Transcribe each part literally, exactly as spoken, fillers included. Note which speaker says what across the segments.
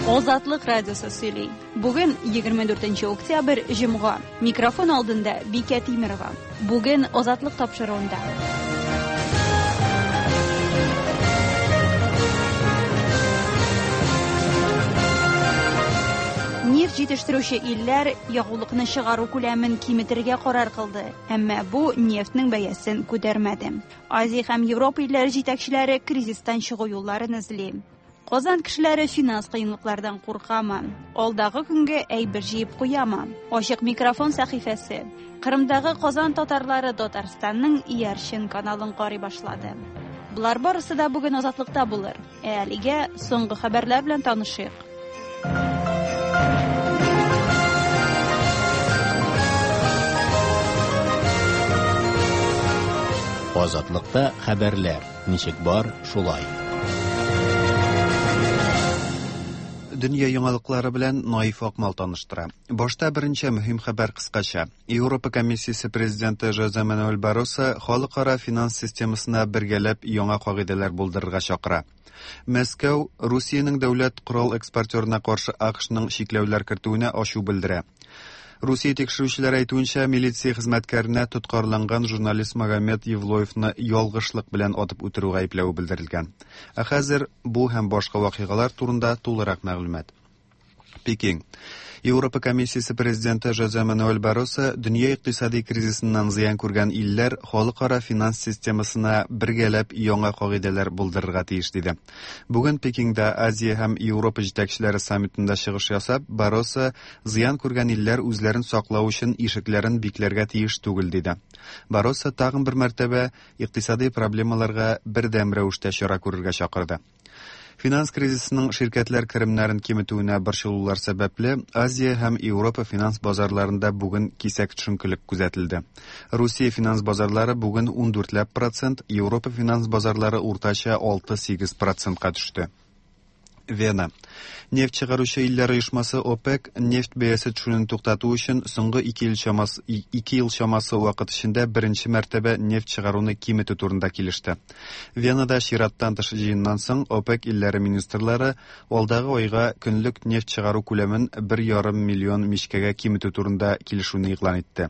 Speaker 1: Азатлык радиосы сөйли. Бүген егерме дүртенче октябрь, җомга. Микрофон алдында Бикә Тимерова. Бүген Азатлык тапшыруында. Нефть җитештерүче илләр ягулыкны чыгару күләмен киметергә карар кылды, әмма бу нефтьнең бәясен күтәрмәде. Азия һәм Европа илләре җитәкчеләре кризистан чыгу юлларын эзли. Казан кешеләре финанс кыенлыклардан куркамы? Алдагы көнгә әйбер җыеп куямы? Ачык микрофон сәхифәсе. Кырымдагы Казан татарлары Татарстанның иярчен каналын карый башлады. Болар барысы да бүген Азатлыкта булыр. Ә әлегә соңгы хәбәрләр белән танышыйк.
Speaker 2: Азатлыкта хәбәрләр ничек бар, шулай.
Speaker 3: Дөнья яңалыклары белән Наиф Акмал таныштыра. Башта беренче мөһим хәбәр кыскача. Европа комиссиясе президенты Жозе Мануэль Барроса халыкара финанс системасына бергәләп яңа кагыйдәләр булдырырга чакыра. Мәскәү Русиянең дәүләт корал экспортерына каршы АКШның чикләүләр кертүенә ачу белдерә. Русия тикшерүчеләре әйтүенчә, милиция хезмәткәренә тоткарланган журналист Магомед Евлоевны ялгышлык белән атып үтерү гаепләве белдерелгән. Ә хәзер бу һәм башка вакыйгалар турында тулырак мәгълүмат. Пекин. Европа комиссиясе президенты Жозе Мануэль Барроса дөнья икътисади кризисыннан зыян күргән илләр халыкара финанс системасына бергәләп яңа кагыйдәләр булдырырга тиеш диде. Бүген Пекинда Азия һәм Европа җитәкчеләре саммитында чыгыш ясап, Барроса зыян күргән илләр үзләрен саклау өчен ишекләрен бикләргә тиеш түгел диде. Барроса тагын бер мәртәбә икътисади проблемаларга бердәм рәвештә чара күрергә чакырды. Финанс кризисының ширкәтләр керемнәрен киметүенә борчылулар сәбәпле, Азия һәм Европа финанс базарларында бүген кисәк төшенкелек күзәтелде. Русия финанс базарлары бүген ун дүртләп процент, Европа финанс базарлары уртача алты-сигез процентка төште. Вена. Нефть чыгаручы илләр оешмасы ОПЕК нефть бәясе төшүен туктату өчен соңгы ике ел чамасы, ике ел чамасы вакыт эчендә беренче мәртәбә нефть чыгаруны киметү турында килеште. Венада чираттан тыш җыеннан соң ОПЕК илләре министрлары алдагы айга көнлек нефть чыгару күләмен бер ярым миллион мичкәгә киметү турында килешүне игълан итте.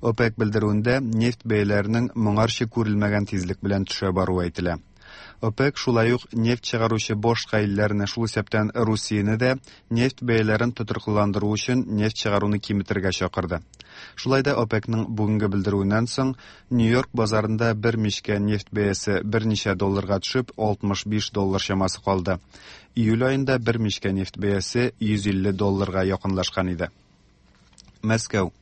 Speaker 3: ОПЕК белдерүендә нефть бәяләренең моңарчы күрелмәгән тизлек белән төшә баруы әйтелә. ОПЕК шулай ук нефть чыгаручы башка илләрне, шул исәптән Русияне дә, нефть бәяләрен тотрыклыландыру өчен нефть чыгаруны киметергә чакырды. Шулай да ОПЕКның бүгенге белдерүеннән соң Нью-Йорк базарында бер мичкә нефть бәясе берничә долларга төшеп, алтмыш биш доллар чамасы калды. Июль аенда бер мичкә нефть бәясе йөз илле долларга якынлашкан иде. Мәскәү.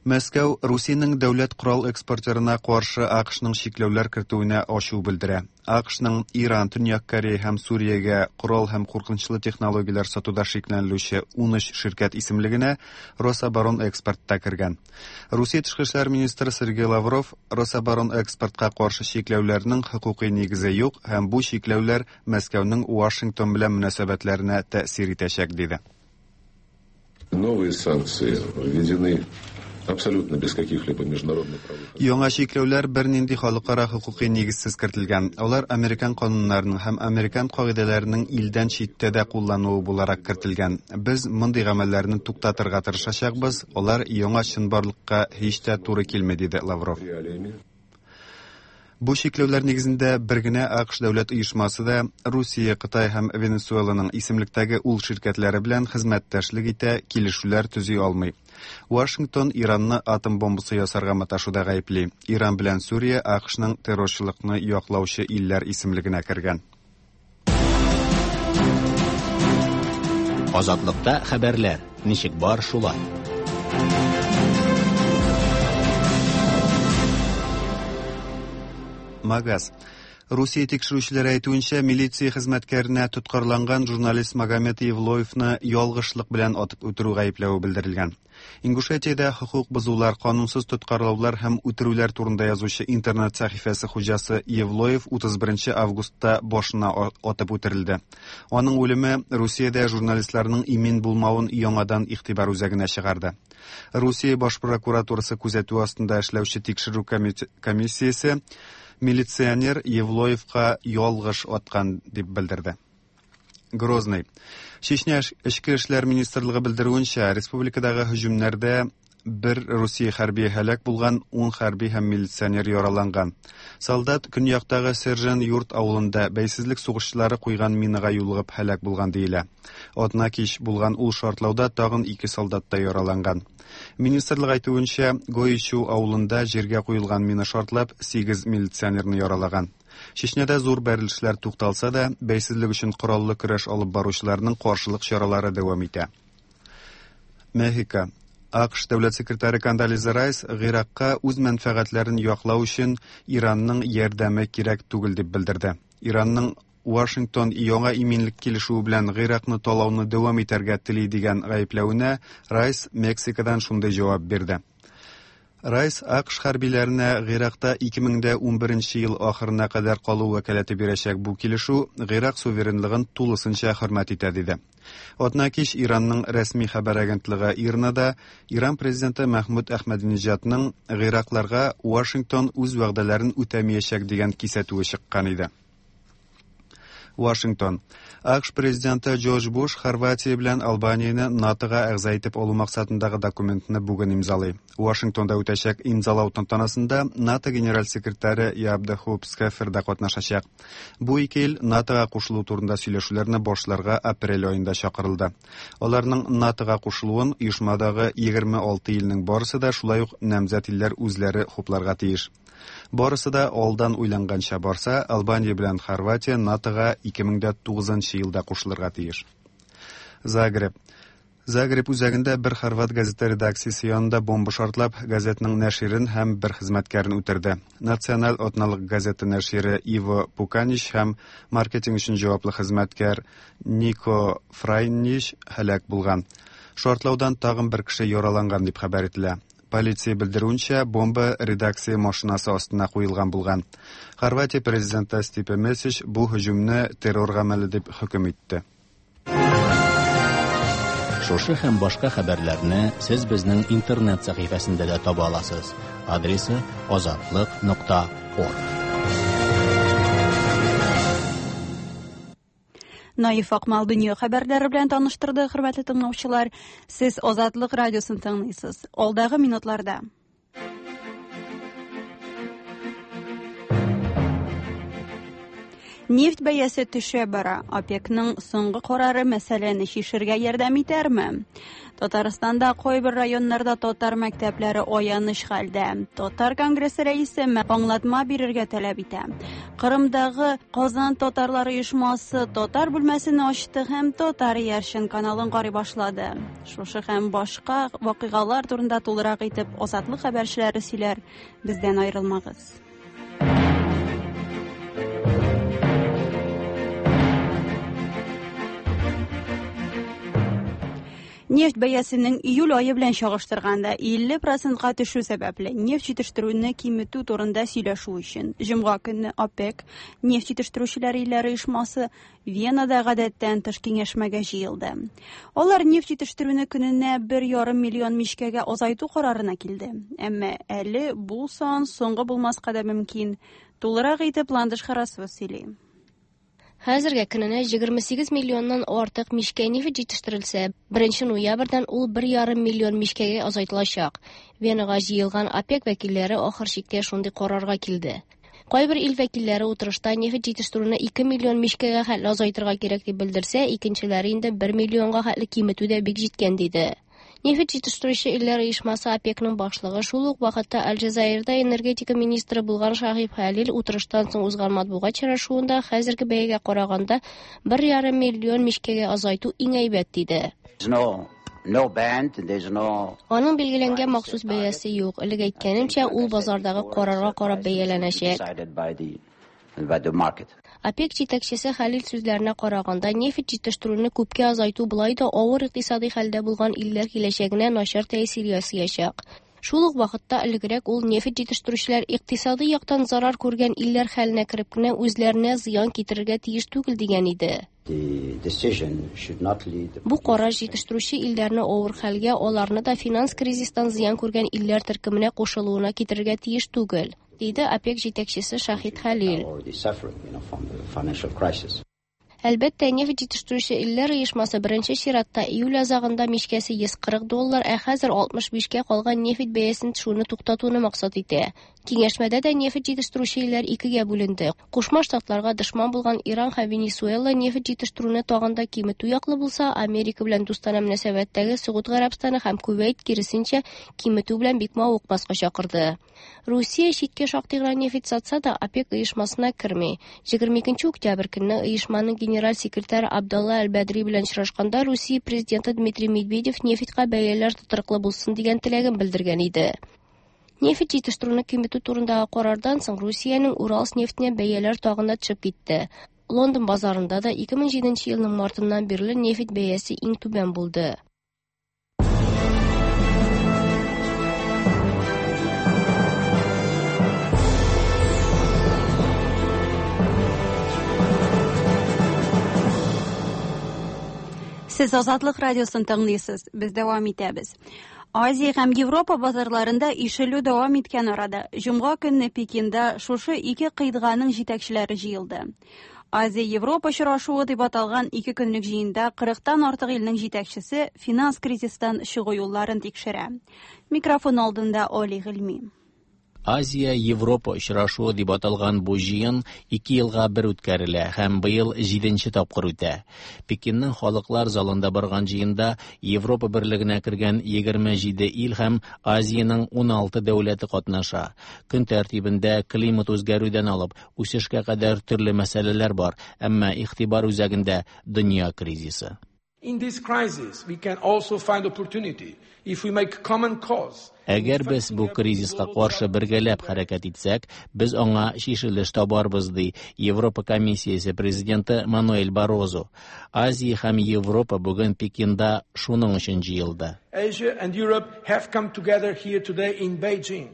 Speaker 3: Мәскәү Русиянең дәүләт корал экспортерына каршы АКШның чикләүләр кертүенә ачу белдерә. АКШның Иран, Төньяк Корея һәм Сүриягә корал һәм куркынычлы технологияләр сатуда шикләнелүче ун өч ширкәт исемлегенә Рособоронэкспорт та кергән. Русия тышкы эшләр министры Сергей Лавров Рособоронэкспортка каршы чикләүләрнең хокукый нигезе юк һәм бу чикләүләр Мәскәүнең Вашингтон белән мөнәсәбәтләренә тәэсир итәчәк диде.
Speaker 4: Новые санкции введены абсолютно без каких-либо международных правовых
Speaker 3: Яңа чикләүләр бернинди халыкара хокукый нигезсез кертелгән. Алар американ кануннарының һәм американ кагыйдәләренең илдән читтә дә куллануы буларак кертелгән. Без мондый гамәлләрне туктатырга тырышачакбыз. Алар яңа чынбарлыкка һич тә туры килми, диде Лавров.
Speaker 4: Реалиями.
Speaker 3: Бу чикләүләр нигезендә бер генә АКШ дәүләт оешмасы да Русия, Кытай һәм Венесуэланың исемлектәге ул ширкәтләре белән хезмәттәшлек итә, килешүләр төзи алмый. Вашингтон Иранны атом бомбасы ясарга маташуда гаепли. Иран белән Сүрия АКШның террорчылыкны яклаучы илләр исемлегенә кергән.
Speaker 2: Азатлыкта хәбәрләр ничек бар шулай.
Speaker 3: Магаз. Русия тикшерүчеләре әйтүенчә, милиция хезмәткәренә тоткарланган журналист Магомед Евлоевны ялгышлык белән атып үтерү гаепләве белдерелгән. Ингушетиядә хокук бозулар, канунсыз тоткарлаулар һәм үтерүләр турында язучы интернет сәхифәсе хуҗасы Евлоев утыз беренче августта башына атып үтерелде. Аның үлеме Русиядә журналистларның имин булмавын яңадан игътибар үзәгенә чыгарды. Русия баш прокуратурасы күзәтү астында эшләүче тикшерү комиссиясе милиционер Евлоевка ялгыш аткан дип белдерде. Грозный. Чечня Эчке эшләр министрлыгы белдерүенчә, республикадагы һөҗүмнәрдә бер Русия хәрби һәлак булган, ун хәрби һәм милиционер яраланган. Солдат көньяктагы Сержан Юрт авылында бәйсезлек сугышчылары куйган минага юлыгып һәлак булган диелә. Атна кич булган ул шартлауда тагын ике солдат та яраланган. Министрлык әйтүенчә, Гоичу авылында җиргә куелган мина шартлап сигез милиционерны яралаган. Чечняда зур бәрелешләр тукталса да, бәйсезлек өчен кораллы көрәш алып баручыларның каршылык чаралары дәвам итә. Мехико. АКШ дәүләт секретаре Кондолиза Райс Гыйракка үз мәнфәгатьләрен яклау өчен Иранның ярдәме кирәк түгел дип белдерде. Иранның Вашингтон яңа иминлек килешүе белән Гыйракны талауны дәвам итәргә тели дигән гаепләвенә Райс Мексикадан шундый җавап бирде. Райс АКШ хәрбиләренә Гыйракта ике мең дә унберенче ел ахырына кадәр калу вәкаләте бирәчәк бу килешү Гыйрак суверенлыгын тулысынча хөрмәт итә диде. Атна кич Иранның рәсми хәбәр агентлыгы ИРНАда Иран президенты Мәхмүд Әхмәдинеҗадның Гыйракларга Вашингтон үз вәгъдәләрен үтәмәячәк дигән кисәтүе чыккан иде. Вашингтон. АКШ президенты Джордж Буш Хорватия белән Албанияне НАТОга әгъза итеп алу максатындагы документны бүген имзалый. Вашингтонда үтәчәк имзалау тантанасында НАТО генераль секретаре Яп де Хоп Скефер да катнашачак. Бу ике ил НАТОга кушылу турында сөйләшүләрне башларга апрель аенда чакырылды. Аларның НАТОга кушылуын оешмадагы егерме алты илнең барысы да, шулай ук намзәт илләр үзләре хупларга тиеш. Барысы да алдан уйланганча барса, Албания белән Хорватия НАТОга ике мең дә тугызынчы елда кушылырга тиеш. Загреб. Загреб үзәгендә бер хорват газета редакциясе янында бомба шартлап, газетның нәширен һәм бер хезмәткәрен үтерде. Националь атналык газета нәшире Иво Пуканич һәм маркетинг өчен җаваплы хезмәткәр Нико Фрайнич һәлак булган. Шартлаудан тагын бер кеше яраланган дип хәбәр ителә. Полиция белдерүенчә, бомба редакция машинасы астына куелган булган. Хорватия президенты Стипе Месич бу һөҗүмне террор гамәле дип хөкем итте.
Speaker 2: Шушы һәм башка хәбәрләрне сез безнең интернет сәхифәсендә дә таба аласыз. Адресы азатлык нокта орг.
Speaker 1: Наиф Акмал дөнья хәбәрләре белән таныштырды, хөрмәтле тыңлаучылар. Сез Азатлык радиосын тыңлыйсыз. Алдагы минутларда нефть бәясе төшә бара. ОПЕКның соңгы карары мәсьәләне чишергә ярдәм итәрме? Татарстанда кайбер районнарда татар мәктәпләре аяныч хәлдә. Татар конгрессы рәисе аңлатма бирергә таләп итә. Кырымдагы Казан татарлары оешмасы татар бүлмәсен ачты һәм Татар Яршин каналын карый башлады. Шушы һәм башка вакыйгалар турында тулырак итеп Азатлык хәбәрчеләре сөйләр. Бездән аерылмагыз. Нефть бәясенең июль ае белән чагыштырганда илле процентка төшү сәбәпле нефть җитештерүне киметү турында сөйләшү өчен җомга көнне ОПЕК нефть җитештерүчеләр илләре оешмасы Венада гадәттән тыш киңәшмәгә җыелды. Алар нефть җитештерүне көненә бер ярым миллион мичкәгә азайту карарына килде. Әмма әле бу сан соңгы булмаска да мөмкин. Тулырак итеп Ландыш Харасова сөйли.
Speaker 5: Хәзергә көненә егерме сигез миллионнан артык мичкә нефть җитештерелсә, беренче ноябрьдән ул бер ярым миллион мичкәгә азайтылачак. Венага җыелган ОПЕК вәкилләре ахыр чиктә шундый карарга килде. Кайбер ил вәкилләре утырышта нефть җитештерүне ике миллион мичкәгә хәтле азайтырга кирәк дип белдерсә, икенчеләре инде бер миллионга хәтле киметү дә бик җиткән диде. Нефть җитештерүче илләр оешмасы ОПЕКның башлыгы шул ук вакытта Алҗазаирда энергетика министры булган Шахиб Халил утырыштан соң узган матбугат чарашуында хәзерге бәягә караганда бер ярым миллион мичкәгә азайту иң әйбәт диде.
Speaker 6: No band, there's no...
Speaker 5: Аның билгеләнгән махсус бәясе юк. Элек әйткәнемчә, ул базардагы карарга карап бәяләнәчәк. ОПЕК җитәкчесе Халил сүзләренә караганда, нефть җитештерүне күпкә азайту болай да авыр икътисади хәлдә булган илләр киләчәгенә начар тәэсир ясаячак. Шул ук вакытта элегрәк ул нефть җитештерүчеләр икътисади яктан зарар күргән илләр хәленә кереп кенә үзләренә зыян китерергә тиеш түгел дигән иде. Бу карар җитештерүче илләрне авыр хәлгә, аларны да финанс кризистан зыян күргән илләр төркеменә кушылуына китерергә тиеш түгел, диде ОПЕК җитәкчесе Шахид Халил. Әлбәттә, нефть җитештерүче илләр оешмасы беренче чиратта июль азагында мичкәсе йөз кырык доллар, ә хәзер алтмыш бишкә калган нефть бәясен төшүне туктатуны максат итә. Киңәшмәдә дә нефть җитештерүче илләр икегә бүленде. Кушма Штатларга дошман булган Иран һәм Венесуэла нефть җитештерүне тагын да киметү яклы булса, Америка белән дустанә мөнәсәбәттәге Согуд Гарәбстаны һәм Кувейт киресенчә киметү белән бик мавыкмаска чакырды. Русия читкә шактый гына нефть сатса да, ОПЕК оешмасына керми. Егерме икенче октябрь көнне оешманың генераль секретаре Абдалла Аль-Бадри белән очрашканда Русия президенты Дмитрий Медведев нефтькә бәяләр тотрыклы булсын дигән теләген белдергән иде. Нефть җитештерүне киметү турындагы карардан соң Русиянең Уралс нефтенә бәяләр тагын да төшеп китте. Лондон базарында да ике мең җиденче елның мартыннан бирле нефть бәясе иң түбән булды.
Speaker 1: Сез Азатлык радиосын тыңлыйсыз. Без дәвам итәбез. Азия һәм Европа базарларында ишелү дәвам иткән арада, җомга көнне Пекинда шушы ике кыйтганың җитәкчеләре җыелды. Азия-Европа очрашуы дип аталган ике көнлек җыенда кырыктан артык илнең җитәкчесе финанс кризистан чыгу юлларын тикшерә. Микрофон алдында Оли Гыйльми.
Speaker 2: Азия-Европа очрашуы дип аталган бу җыен ике елга бер үткәрелә һәм быел җиденче тапкыр үтә. Пекинның халыклар залында барган җыенда Европа берлегенә кергән егерме җиде ил һәм Азиянең уналты дәүләте катнаша. Көн тәртибендә климат үзгәрүдән алып үсешкә кадәр төрле мәсьәләләр бар, әмма игътибар үзәгендә дөнья кризисы.
Speaker 7: In this crisis, we can also find opportunity if we make common cause.
Speaker 2: Әгәр без бу кризиска каршы бергәләп хәрәкәт итсәк, без аңа чишелеш табарбыз, ди Европа комиссиясе президенты Мануэль Баррозу. Азия һәм Европа бүген Пекинда шуның өчен җыелды.
Speaker 7: Asia and Europe have come together here today in Beijing.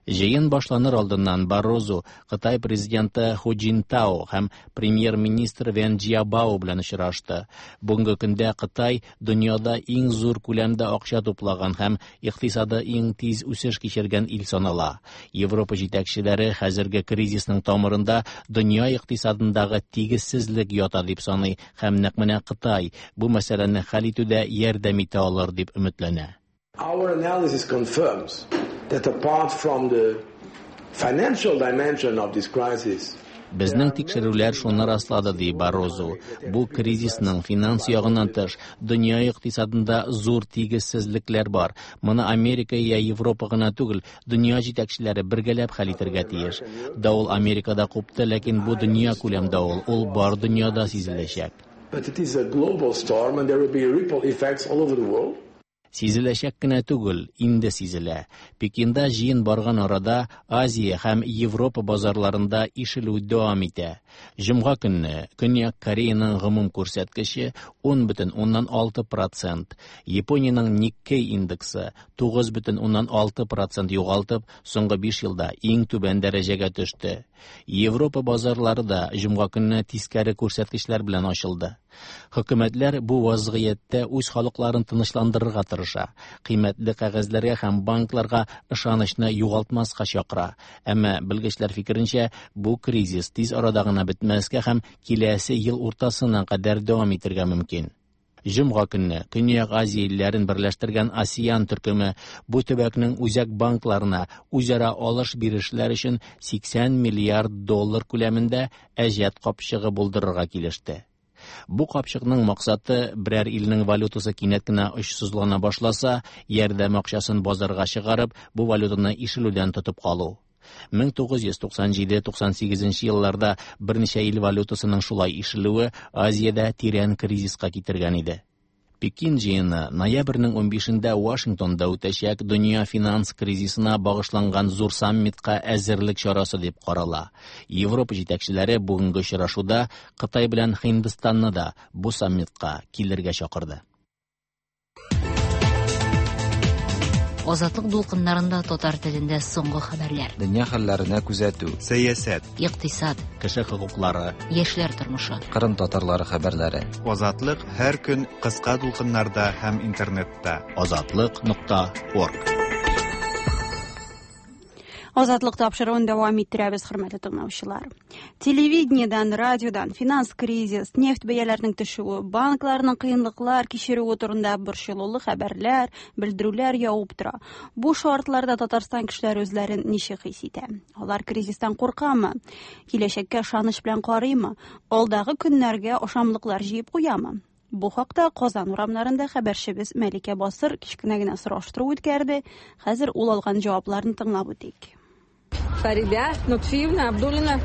Speaker 2: Җыен башланыр алдыннан Баррозу Кытай президенты Ху Цзиньтао һәм премьер-министр Вен Цзябао белән очрашты. Бүгенге көндә Кытай дөньяда иң зур күләмдә акча туплаган һәм икътисады иң тиз үсеш кичергән ил санала. Европа җитәкчеләре хәзерге кризисның тамырында дөнья икътисадындагы тигезсезлек ята дип саный һәм нәкъ менә Кытай бу мәсьәләне хәл итүдә ярдәм итә алыр дип өметләнә.
Speaker 7: Our analysis confirms that apart from the financial dimension of this crisis,
Speaker 2: Безнең тикшерүләр шуны раслады, ди Баррозу. Бу кризисның финанс ягыннан тыш дөнья икътисадында зур тигезсезлекләр бар. Моны Америка я Европа гына түгел, дөнья җитәкчеләре бергәләп хәл итәргә тиеш. Давыл Америкада купты, ләкин бу дөнья күләм давыл, ул бар дөньяда сизеләчәк.
Speaker 7: But it is a global storm and there will be ripple effects all over the world.
Speaker 2: Сизеләчәк кенә түгел, инде сизелә. Пекинда җыен барган арада Азия һәм Европа базарларында ишелү дәвам итә. Җомга көнне Көньяк Кореяның гомум күрсәткече ун бөтен уннан алты процент, Япониянең Никкей индексы тугыз бөтен уннан алты процент югалтып, соңгы биш елда иң түбән дәрәҗәгә төште. Европа базарлары да җомга көнне тискәре күрсәткечләр белән ачылды. Хөкүмәтләр бу вазгыятьтә үз халыкларын тынычландырырга тырыша, кыйммәтле кәгазьләргә һәм банкларга ышанычны югалтмаска чакыра. Әмма белгечләр фикеренчә, бу кризис тиз арада гына бетмәскә һәм киләсе ел уртасына кадәр дәвам итәргә мөмкин. Җомга көнне Көньяк Азия илләрен берләштергән АСЕАН төркеме бу төбәкнең үзәк банкларына үзара алыш-бирешләр өчен сиксән миллиард доллар күләмендә әҗәт капчыгы булдырырга килеште. Бу капчыкның максаты берәр илнең валютасы кинәт кенә очсызлана башласа, ярдәм акчасын базарга чыгарып, бу валютаны ишелүдән тотып калу. Мең тугыз йөз туксан җиде туксан сигезенче елларда берничә ил валютасының шулай ишелүе Азиядә тирән кризиска китергән иде. Пекин җыены ноябрьнең унбишендә Вашингтонда үтәчәк дөнья финанс кризисына багышланган зур саммитка әзерлек чарасы дип карала. Европа җитәкчеләре бүгенге очрашуда Кытай белән Һиндстанны да бу саммитка килергә чакырды.
Speaker 8: Азатлык дулкыннарында татар телендә соңгы хәбәрләр.
Speaker 9: Дөнья хәлләренә күзәтү,
Speaker 3: сәясәт,
Speaker 8: икътисад,
Speaker 2: кеше хокуклары,
Speaker 8: яшьләр тормышы,
Speaker 9: Кырым татарлары хәбәрләре.
Speaker 3: Азатлык һәр көн кыска дулкыннарда һәм интернетта.
Speaker 2: Азатлык нокта орг.
Speaker 1: Азатлык тапшыруын дәвам иттерәбез, хөрмәтле тыңлаучылар. Телевидениедән, радиодан финанс кризис, нефть бәяләренең төшүе, банкларның кыенлыклар кичерүе турында борчылулы хәбәрләр, белдерүләр явып тора. Бу шартларда Татарстан кешеләре үзләрен ничек хис итә? Алар кризистан куркамы? Киләчәккә ышаныч белән карыймы? Алдагы көннәргә ашамлыклар җыеп куямы? Бу хакта Казан урамнарында хәбәрчебез Мәликә Басыр кечкенә генә сораштыру үткәрде. Хәзер ул алган җавапларны тыңлап үтик.
Speaker 10: Фаридә Нутфиевна Абдуллина,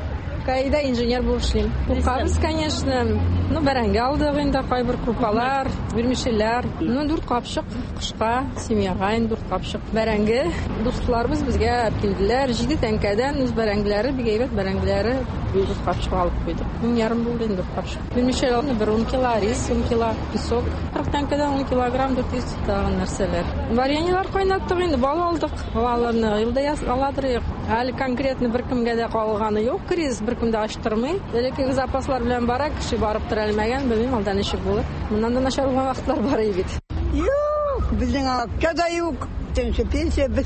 Speaker 10: КАИда инженер булып эшлим. Куркабыз, конечно. Ну, бәрәңге алдык инде, кайбер крупалар, вермишельләр. Ну, дүрт капчык кышка, семьяга инде дүрт капчык бәрәңге. Дусларыбыз безгә алып килделәр. Җиде тәңкәдән үз бәрәңгеләре, бик әйбәт бәрәңгеләре, дүрт капчык алып куйдык. Мең ярым булды инде дүрт капчык. Вермишель алды бер ун кило, рис ун кило, песок кырык тәңкәдән ун килограмм, дүрт йөз тагын нәрсәләр. Вареньелар кайнаттык инде, бал алдык. Балаларны елда аладыр. Әле конкретно бер кемгә дә калганы юк, кризис бер кем дә ачтырмый. Элеккеге запаслар белән бара, кеше барып тора алмаган, белмим, алдан ничек булыр. Моннан да начар булган вакытлар бар бит.
Speaker 11: Юк, безнең акча да юк. Пенсия, пенсия без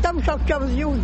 Speaker 11: там акчабыз юк,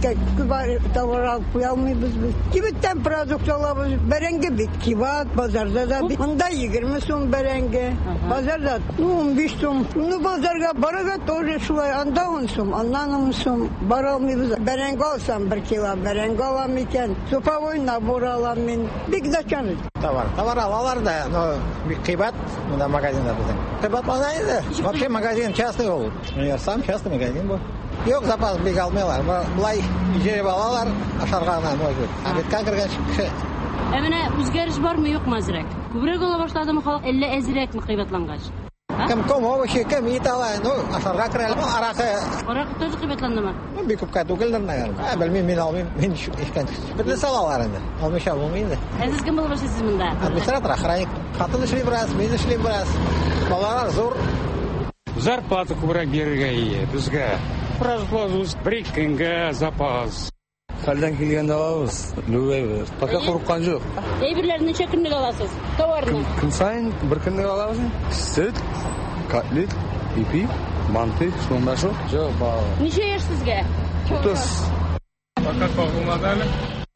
Speaker 11: товар алып куя алмыйбыз без. Кибеттән продукт алабыз, бәрәңге бит кибат, базарда да бит. Монда егерме сум бәрәңге, базарда ну унбиш сум. Ну базарга барырга тоже шулай, анда ун сум, аннан ун сум. Бара алмыйбыз. Бәрәңге алсам бер кило бәрәңге алам икән, суповой набор алам мин. Бик начар.
Speaker 12: Товар, товар алалар да, но бик кыйбат монда магазинда безнең. Кыйбатлана инде. Вообще магазин частный ул. Универсам частный магазин бу. Юк, запас бик алмыйлар. Болай җыеп алалар, ашарга гына, может быть. Обедка кергән кеше.
Speaker 13: Ә менә үзгәреш бармы, юкмы әзрәк? Күбрәк ала башладымы халык, әллә әзрәкме кыйбатлангач?
Speaker 12: Кем ком овощи, кем ит ала, ну, ашарга керә. Ну, аракы.
Speaker 13: Аракы тоже кыйбатландымы?
Speaker 12: Ну, бик күпкә түгелдер, наверное. Ә, белмим, мин алмыйм, мин эчкән. Бөтен салалар инде. Алмыйча булмый инде.
Speaker 13: Ә сез кем булып эшлисез монда?
Speaker 12: Администратор, охранник. Хатын эшли бераз, мин эшлим бераз. Балалар зур.
Speaker 14: Зарплата күбрәк бирергә ие безгә. Продуктларыбыз бер ике көнгә запас.
Speaker 15: Хәлдән килгәндә алабыз, лүбәйбез. Пока курыккан юк.
Speaker 13: Әйберләрне ничә көнлек аласыз? Товарны?
Speaker 15: Көн саен бер көнлек алабыз. Сөт, котлет, ипи, манты, шунда шул. Юк, бал.
Speaker 13: Ничә яшь сезгә?
Speaker 15: Утыз.
Speaker 14: Пока кагылмады әле.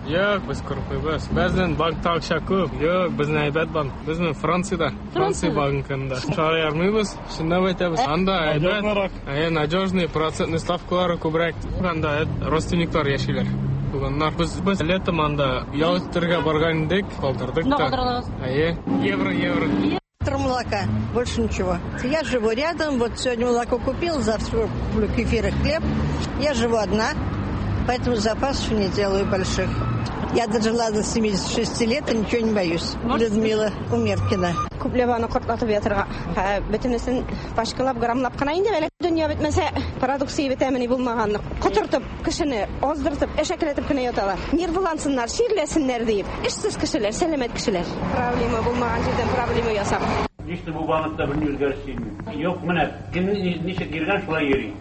Speaker 14: Юк, без курыкмыйбыз. Безнең банкта акча күп. Юк, безнең әйбәт банк. Безнең Франциядә, Франция банкында. Чыгара алмыйбыз, чынлап әйтәбез. Анда әйбәт, әйе, надежный процентный ставкалары күбрәк. Анда родственниклар яшиләр. Туганнар. Без без летом анда ял итәргә барган идек, калдырдык та. Әйе, евро, евро.
Speaker 11: Молока, больше ничего. Я живу рядом, вот сегодня молоко купил, завтра куплю кефир и хлеб. Я живу одна, поэтому запасов не делаю больших. Я дожила до семидесяти шести лет и ничего не боюсь. Людмила Умеркина.
Speaker 10: Күпләп аны кортлатып ятырга. Бөтенесен пачкалап, граммлап кына инде әле. Дөнья бетмәсә, продукция бетәмени булмаганны. Котыртып, кешене аздыртып, әшәкеләтеп кенә яталар. Нервылансыннар, чирләсеннәр диеп. Эшсез кешеләр, сәламәт кешеләр. Проблема булмаган җирдән проблема ясап.
Speaker 16: Ничек бу банкта бер үзгәреш килми. Юк, менә кем ничек йөргән, шулай йөри.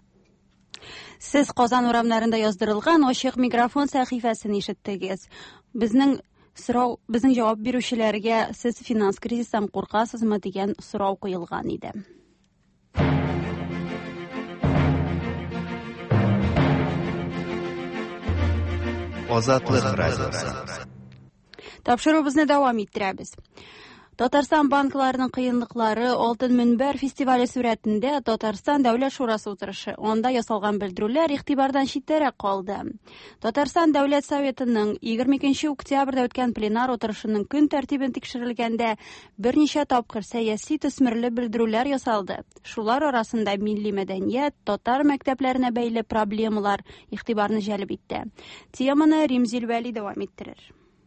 Speaker 1: Сез Казан урамнарында яздырылган ачык микрофон сәхифәсен ишеттегез. Безнең сорау, безнең җавап бирүчеләргә сез финанс кризистан куркасызмы дигән сорау куелган иде.
Speaker 3: Азатлык радиосы.
Speaker 1: Тапшыруыбызны дәвам иттерәбез. Татарстан банкларының кыенлыклары Алтын Мөнбәр фестивале сурәтендә Татарстан Дәүләт Шурасы утырышы. Анда ясалган белдерүләр игътибардан читтәрәк калды. Татарстан Дәүләт Советының егерме икенче октябрьдә үткән пленар утырышының көн тәртибен тикшерелгәндә берничә тапкыр сәяси төсмерле белдерүләр ясалды. Шулар арасында милли мәдәният, татар мәктәпләренә бәйле проблемалар игътибарны җәлеп итте. Теманы Римзил Вәли дәвам иттерер.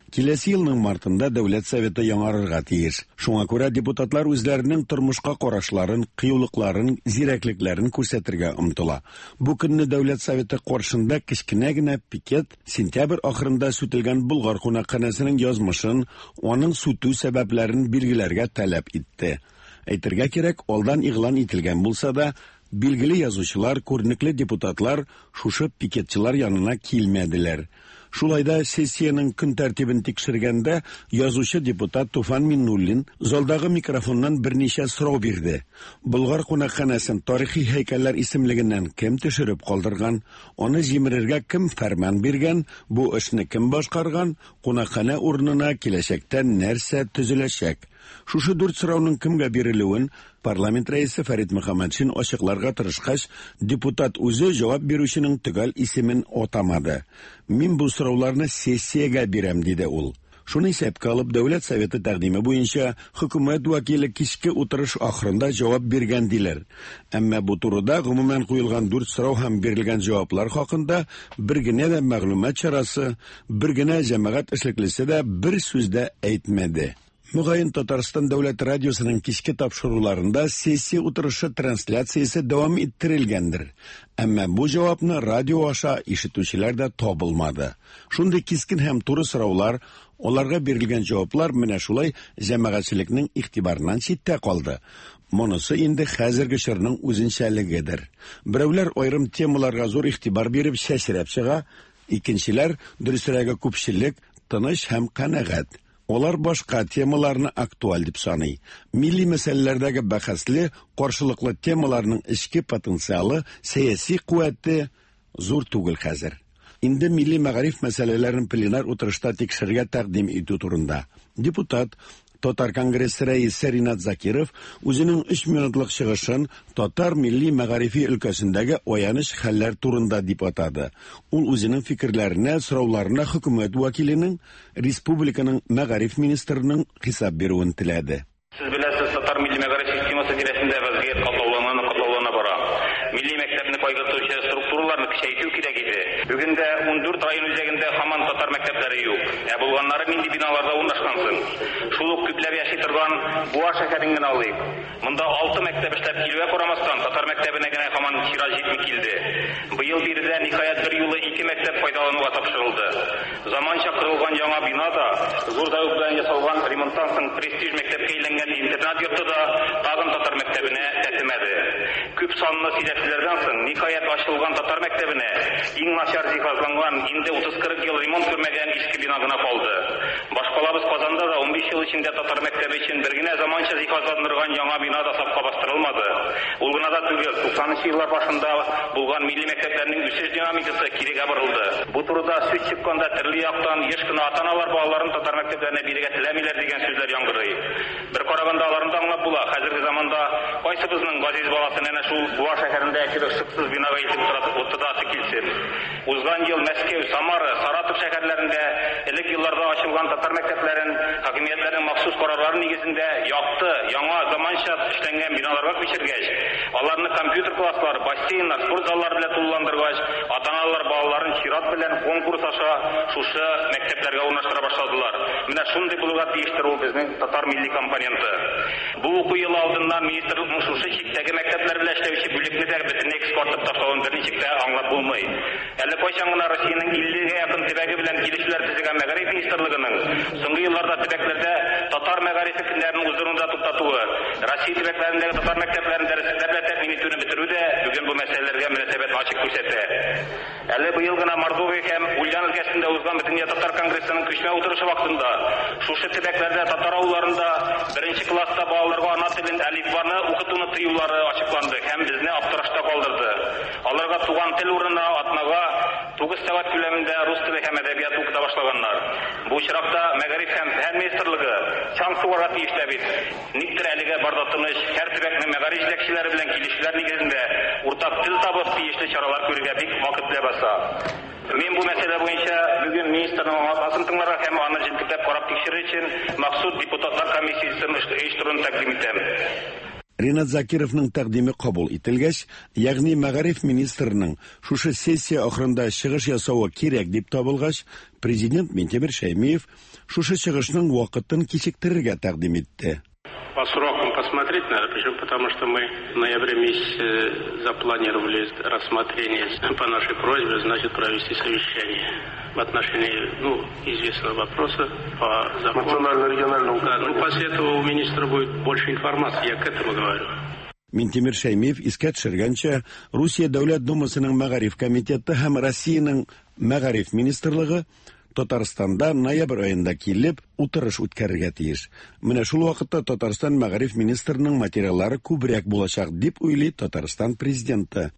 Speaker 17: Киләсе елның мартында Дәүләт Советы яңарырга тиеш. Шуңа күрә депутатлар үзләренең тормышка карашларын, кыюлыкларын, зирәклекләрен күрсәтергә омтыла. Бу көнне Дәүләт Советы каршында кечкенә генә пикет сентябрь ахырында сүтелгән Болгар кунакханәсенең язмышын, аның сүтү сәбәпләрен билгеләргә таләп итте. Әйтергә кирәк, алдан игълан ителгән булса да, билгеле язучылар, күренекле депутатлар шушы пикетчылар янына килмәделәр. Шулай да сессиянең көн тәртибен тикшергәндә язучы депутат Туфан Миннуллин залдагы микрофоннан берничә сорау бирде. Болгар кунакханәсен тарихи һәйкәлләр исемлегеннән кем төшереп калдырган, аны җимерергә кем фәрман биргән, бу эшне кем башкарган, кунакханә урынына киләчәктә нәрсә төзеләчәк? Шушы дүрт сорауның кемгә бирелүен парламент рәисе Фәрит Мөхәммәтшин ачыкларга тырышкач, депутат үзе җавап бирүченең төгәл исемен атамады. Мин бу сорауларны сессиягә бирәм, диде ул. Шуны исәпкә алып, Дәүләт Советы тәкъдиме буенча хөкүмәт вәкиле кичке утырыш ахырында җавап биргән диләр. Әмма бу турыда гомумән куелган дүрт сорау һәм бирелгән җаваплар хакында бер генә дә мәгълүмат чарасы, бер генә җәмәгать эшлеклесе дә бер сүз дә әйтмәде. Мөгаен Татарстан дәүләт радиосының кичке тапшыруларында сессия утырышы трансляциясе дәвам иттерелгәндер. Әмма бу җавапны радио аша ишетүчеләр дә табылмады. Шундый кискен һәм туры сораулар, аларга бирелгән җаваплар менә шулай җәмәгатьчелекнең игътибарыннан читтә калды. Монысы инде хәзерге чорның үзенчәлегедер. Берәүләр аерым темаларга зур игътибар биреп чәчрәп чыга, икенчеләр, дөресрәге күпчелек, тыныч һәм канәгать. Алар башка темаларны актуаль дип саный. Милли мәсьәләләрдәге бәхәсле, каршылыклы темаларның эчке потенциалы, сәяси куәте зур түгел хәзер. Инде милли мәгариф мәсьәләләрен пленар утырышта тикшерергә тәкъдим итү турында. Депутат Татар конгрессы рәисе Ринат Закиров үзенең өч минутлык чыгышын татар милли мәгарифи өлкәсендәге аяныч хәлләр турында дип атады. Ул үзенең фикерләренә, сорауларына хөкүмәт вәкиленең, республиканың мәгариф министрының хисап бирүен теләде.
Speaker 18: Сез беләсез, татар милли мәгариф системасы тирәсендә вазгыять катлаулана, катлаулана бара. Милли мәктәпне кайгыртучы структураларны көчәйтү кирәк иде. Бүген дә ундүрт район үзәгендә һаман татар мәктәпләре юк. Ә булганнары нинди биналарда урнашкан соң? Шул ук күпләп яши торган Буа шәһәрен генә алыйк. Монда алты мәктәп эшләп килүгә карамастан, татар мәктәбенә генә һаман чират җитми килде. Быел биредә ниһаять бер юлы ике мәктәп файдалануга тапшырылды. Заманча корылган яңа бина да, зур зәвык белән ясалган ремонттан соң престиж мәктәпкә әйләнгән интернат йорты да тагын татар мәктәбенә тәтемәде. Күп санлы сөйләшүләрдән соң ниһаять ачылган татар мәктәбенә иң начар җиһазланган, инде утыз-кырык ел ремонт күрмәгән иске бина гына калды. Башкалабыз Казанда да унбиш ел эчендә татар мәктәбе өчен бер генә заманча җиһазландырган яңа бина да сафка бастырылмады. Ул гына да түгел, туксанынчы еллар башында булган милли мәктәпләрнең үсеш динамикасы кирегә борылды. Бу турыда сүз чыкканда төрле яктан еш кына ата-аналар балаларын татар мәктәпләренә бирергә теләмиләр дигән сүзләр яңгырый. Бер караганда аларны да аңлап була. Хәзерге заманда кайсыбызның газиз баласын әнә шул Буа шәһәрендә кебек шыксыз бинага илтеп утыртасы килсен. Узган ел Мәскәү, Самара, Саратов шәһәрләрендә элек елларда ачылган татар мәктәпләрен хакимиятләрнең махсус карарлары нигезендә якты, яңа, заманча эшләнгән биналарга күчергәч, аларны компьютер класслары, бассейннар, спорт заллары белән тулыландыргач, ата-аналар балаларын чират белән конкурс аша шушы мәктәпләргә урнаштыра башладылар. Менә шундый булырга тиештер ул безнең татар милли компоненты. Бу уку елы алдыннан министрлыкның шушы чиктәге мәктәпләр белән эшләүче бүлекне дә бөтенләй кыскартып ташлавын берничек тә аңлап булмый. Әле кайчан гына Россиянең иллегә якын төбәге белән килешүләр төзегән мәгариф министрлыгының соңгы елларда төбәкләрдә татар мәгарифе көннәрен уздыруны да туктатуы, Россия төбәкләрендәге татар мәктәпләрен дәреслекләр белән тәэмин итүне бетерү дә бүген бу мәсьәләләргә мөнәсәбәт ачык күрсәтә. Әле быел гына Мордовия һәм Ульян өлкәсендә узган Бөтендөнья татар конгрессының күчмә утырышы вакытында шушы төбәкләрдә татар авылларында беренче класста балаларга ана телен әлифбаны укытуны тыюлары ачыкланды һәм безне аптырашта калдырды. Аларга туган тел урынына атнага тугыз сәгать күләмендә рус теле һәм әдәбияты укыта башлаганнар. Бу очракта мәгариф һәм фән министрлыгы чаң сугарга тиеш тә бит. Никтер әлегә барда тыныч, һәр төбәкнең мәгариф җитәкчеләре белән килешүләр нигезендә уртак тел табып тиешле чаралар күрергә бик вакыт ләбаса. Мин бу мәсьәлә буенча бүген министрның аңлатмасын тыңларга һәм аны җентекләп карап тикшерер өчен махсус депутатлар комиссиясен оештыруны тәкъдим итәм.
Speaker 17: Ринат Закировның тәкъдиме кабул ителгәч, ягъни мәгариф министрының шушы сессия ахырында чыгыш ясавы кирәк дип табылгач, президент Минтимер Шәймиев шушы чыгышның вакытын кичектерергә тәкъдим итте.
Speaker 19: По срокам посмотреть надо, почему? Потому что мы в ноябре месяце запланировали рассмотрение по нашей просьбе, значит, провести совещание в отношении, ну, известного вопроса по закону.
Speaker 20: Национально-регионального.
Speaker 19: Да, ну, после этого у министра будет больше информации, я к этому говорю.
Speaker 17: Минтимер Шәймиев искә төшергәнчә, Русия Дәүләт Думасының Мәгариф комитеты һәм Россиянең Мәгариф министрлыгы Татарстанда ноябрь аенда килеп утырыш үткәрергә тиеш. Менә шул вакытта Татарстан мәгариф министрының материаллары күбрәк булачак дип уйлый Татарстан президенты.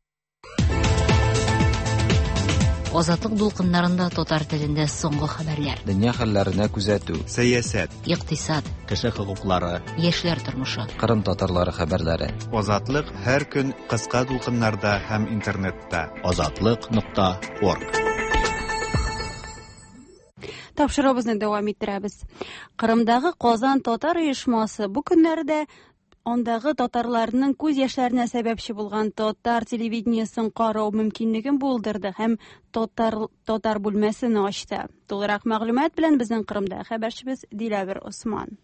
Speaker 8: Азатлык дулкыннарында татар телендә соңгы хәбәрләр.
Speaker 9: Дөнья хәлләренә күзәтү.
Speaker 3: Сәясәт.
Speaker 8: Икътисад.
Speaker 2: Кеше хокуклары.
Speaker 8: Яшьләр тормышы.
Speaker 9: Кырым татарлары хәбәрләре.
Speaker 3: Азатлык һәр көн кыска дулкыннарда һәм интернетта.
Speaker 2: Азатлык нокта орг.
Speaker 1: Тапшыруыбызны дәвам иттерәбез. Кырымдагы Казан татар оешмасы бу көннәрдә андагы татарларның күз яшьләренә сәбәпче булган татар телевидениесен карау мөмкинлеген булдырды һәм татар татар бүлмәсен ачты. Тулырак мәгълүмат белән безнең Кырымда хәбәрчебез Диләвер Осман.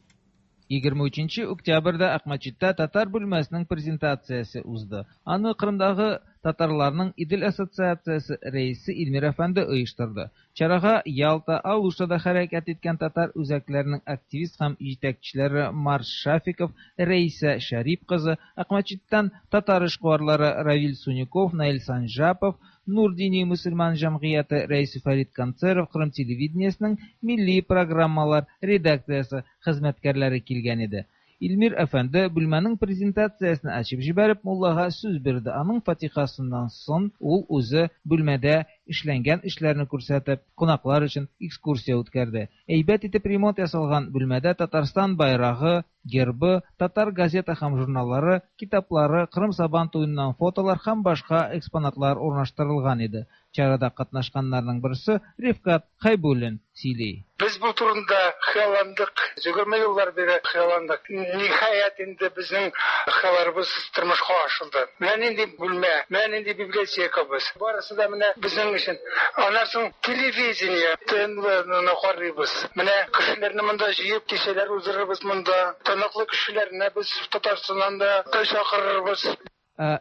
Speaker 20: егерме өченче октябрьдә Акмәчеттә татар бүлмәсенең презентациясе узды. Аны Кырымдагы татарларның Идел ассоциациясе рәисе Илмир әфәнде оештырды. Чарага Ялта, Алуштада хәрәкәт иткән татар үзәкләренең активист һәм җитәкчеләре Марс Шафиков, Рәисә Шәрип кызы, Акмәчеттән татар эшкуарлары Равил Суников, Наил Санжапов, Нур дини мөселман җәмгыяте рәисе Фәрит Концеров, Кырым телевидениесенең милли программалар редакциясе хезмәткәрләре килгән иде. Илмир әфәнде бүлмәнең презентациясен ачып җибәреп муллага сүз бирде. Аның фатихасыннан соң ул үзе бүлмәдә эшләнгән эшләрне күрсәтеп, кунаклар өчен экскурсия үткәрде. Әйбәт итеп ремонт ясалган бүлмәдә Татарстан байрагы, гербы, татар газета һәм журналлары, китаплары, Кырым Сабан туеннан фотолар һәм башка экспонатлар урнаштырылган иде. Чарада катнашканнарның берсе Рифкат Хайбуллин сөйли.
Speaker 21: Без бу турында хыялландык, егерме еллар бире хыялландык. Ниһаять инде безнең хыялларыбыз тормышка ашырылды. Менә нинди бүлмә, менә нинди библиотекабыз. Барысы да менә безнең өчен. Аннан соң телевидение, ТНВны карыйбыз. Менә кешеләрне монда җыеп, кичәләр уздырырбыз монда. Таныклы кешеләрне без Татарстаннан да чакырырбыз.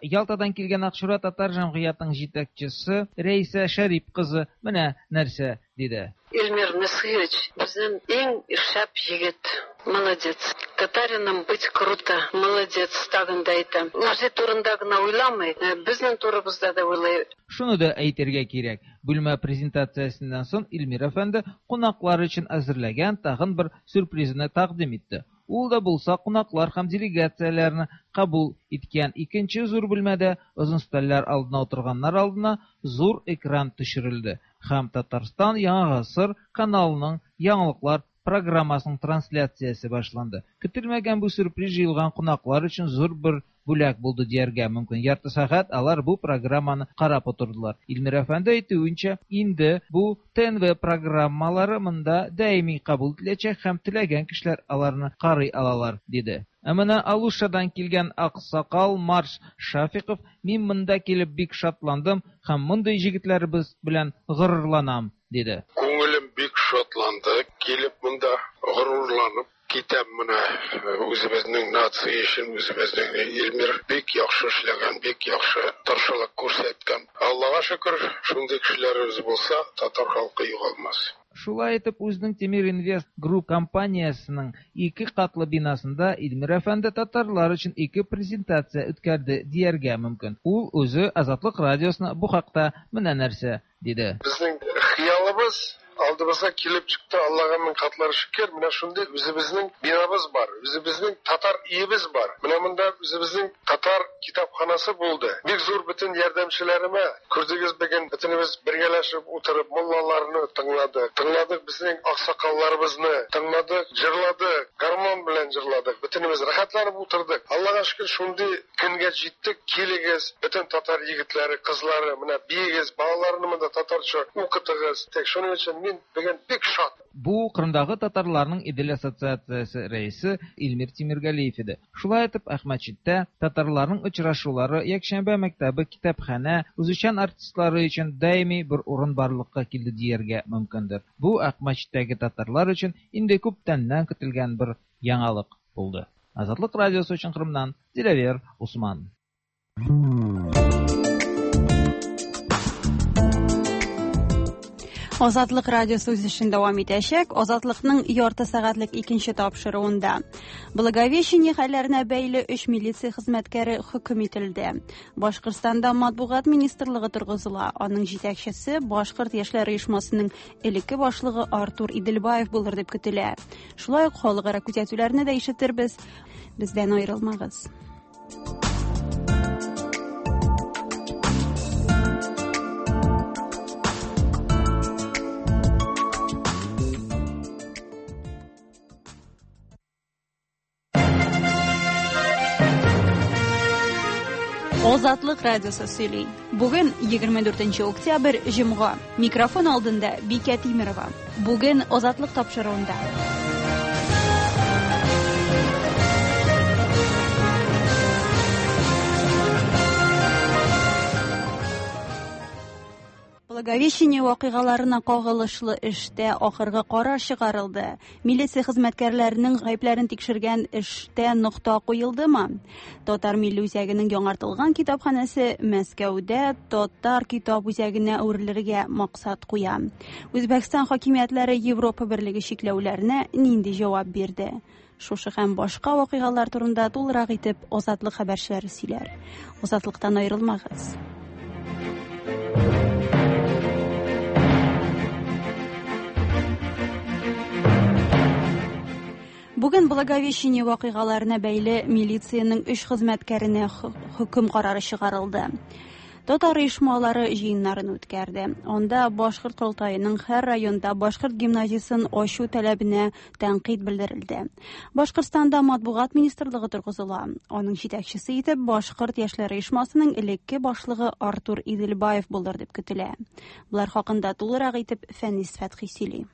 Speaker 20: Ялтадан килгән Акчура татар җәмгыятенең җитәкчесе Рәисә Шәрип кызы менә нәрсә диде.
Speaker 22: Илмир Насырович безнең иң шәп егет. Молодец. Татарином быть круто. Молодец, тагын да әйтәм. Үзе турында гына уйламый, безнең турыбызда да уйлый.
Speaker 20: Шуны да әйтергә кирәк. Бүлмә презентациясеннән соң Илмир әфәнде кунаклар өчен әзерләгән тагын бер сюрпризны тәкъдим итте. Ул да булса кунаклар һәм делегацияләрне кабул иткән икенче зур бүлмәдә озын өстәлләр алдына утырганнар алдына зур экран төшерелде һәм Татарстан Яңа гасыр каналының яңалыклар программасының трансляциясе башланды. Көтелмәгән бу сюрприз җыелган кунаклар өчен зур бер бүләк булды дияргә мөмкин. Ярты сәгать алар бу программаны карап утырдылар. Илмир әфәнде әйтүенчә, инде бу ТНВ программалары монда даими кабул ителәчәк һәм теләгән кешеләр аларны карый алалар, диде. Ә менә Алушадан килгән аксакал Марс Шафиков: "Мин монда килеп бик шатландым һәм мондый җегетләребез белән горурланам", диде.
Speaker 23: Күңелем бик шатланды, килеп монда горурланып китәм менә үзебезнең нация өчен, үзебезнең Илмир бик яхшы эшләгән, бик яхшы тырышлык күрсәткән. Аллага шөкер, шундый кешеләребез булса, татар халкы югалмас.
Speaker 20: Шулай итеп, үзенең Темир Инвест Групп компаниясенең ике катлы бинасында Илмир әфәнде татарлар өчен ике презентация үткәрде дияргә мөмкин. Ул үзе Азатлык радиосына бу хакта менә нәрсә диде.
Speaker 23: Безнең хыялыбыз алдыбызга килеп чыкты, Аллага мең катлар шөкер. Менә шундый үзебезнең бинабыз бар, үзебезнең татар өебез бар. Менә монда үзебезнең татар китапханасы булды. Бик зур бөтен ярдәмчеләремә күрдегез бүген бөтенебез бергәләшеп утырып муллаларны тыңладык. Тыңладык безнең аксакалларыбызны, тыңладык, җырладык, гармон белән җырладык. Бөтенебез рәхәтләнеп утырдык. Аллага шөкер, шундый көнгә җиттек. Килегез, бөтен татар егетләре, кызлары, менә биегез, балаларны монда татарча укытыгыз. Тик шуның өчен мин бүген бик шат.
Speaker 20: Бу Кырымдагы татарларның Идел ассоциациясе рәисе Илмир Тимиргалиев иде. Шулай итеп, Әхмәтчиттә татарларның очрашулары, якшәмбе мәктәбе, китапханә, үзешчән артистлары өчен даими бер урын барлыкка килде дияргә мөмкиндер. Бу Әхмәтчиттәге татарлар өчен инде күптәннән көтелгән бер яңалык булды. Азатлык радиосы өчен Кырымнан Диләвер Усман.
Speaker 1: Азатлык радиосы үз эшен дәвам итәчәк. Азатлыкның ярты сәгатьлек икенче тапшыруында Благовещение хәлләренә бәйле өч милиция хезмәткәре хөкем ителде. Башкортстанда матбугат министрлыгы торгызыла. Аның җитәкчесе Башкорт яшьләр оешмасының элекке башлыгы Артур Иделбаев булыр дип көтелә. Шулай ук халыкара күзәтүләрне дә ишетербез. Бездән аерылмагыз. Азатлык радиосы сөйли. Бүген егерме дүртенче октябрь, җомга. Микрофон алдында Бикә Тимерова. Бүген Азатлык тапшыруында. Благовещение вакыйгаларына кагылышлы эштә ахыргы карар чыгарылды. Милиция хезмәткәрләренең гаепләрен тикшергән эштә нокта куелдымы? Татар милли үзәгенең яңартылган китапханәсе Мәскәүдә татар китап үзәгенә әверелергә максат куя. Үзбәкстан хакимиятләре Европа берлеге чикләүләренә нинди җавап бирде? Шушы һәм башка вакыйгалар турында тулырак итеп Азатлык хәбәрчеләре сөйләр. Азатлыктан аерылмагыз. Бүген Благовещение вакыйгаларына бәйле милициянең өч хезмәткәренә хөкем карары чыгарылды. Татар оешмалары җыеннарын үткәрде. Анда Башкорт корылтаеның һәр районда башкорт гимназиясен ачу таләбенә тәнкыйть белдерелде. Башкортстанда матбугат министрлыгы торгызыла. Аның җитәкчесе итеп Башкорт яшьләр оешмасының элекке башлыгы Артур Иделбаев булыр дип көтелә. Болар хакында тулырак итеп Фәнис Фәтхи сөйли.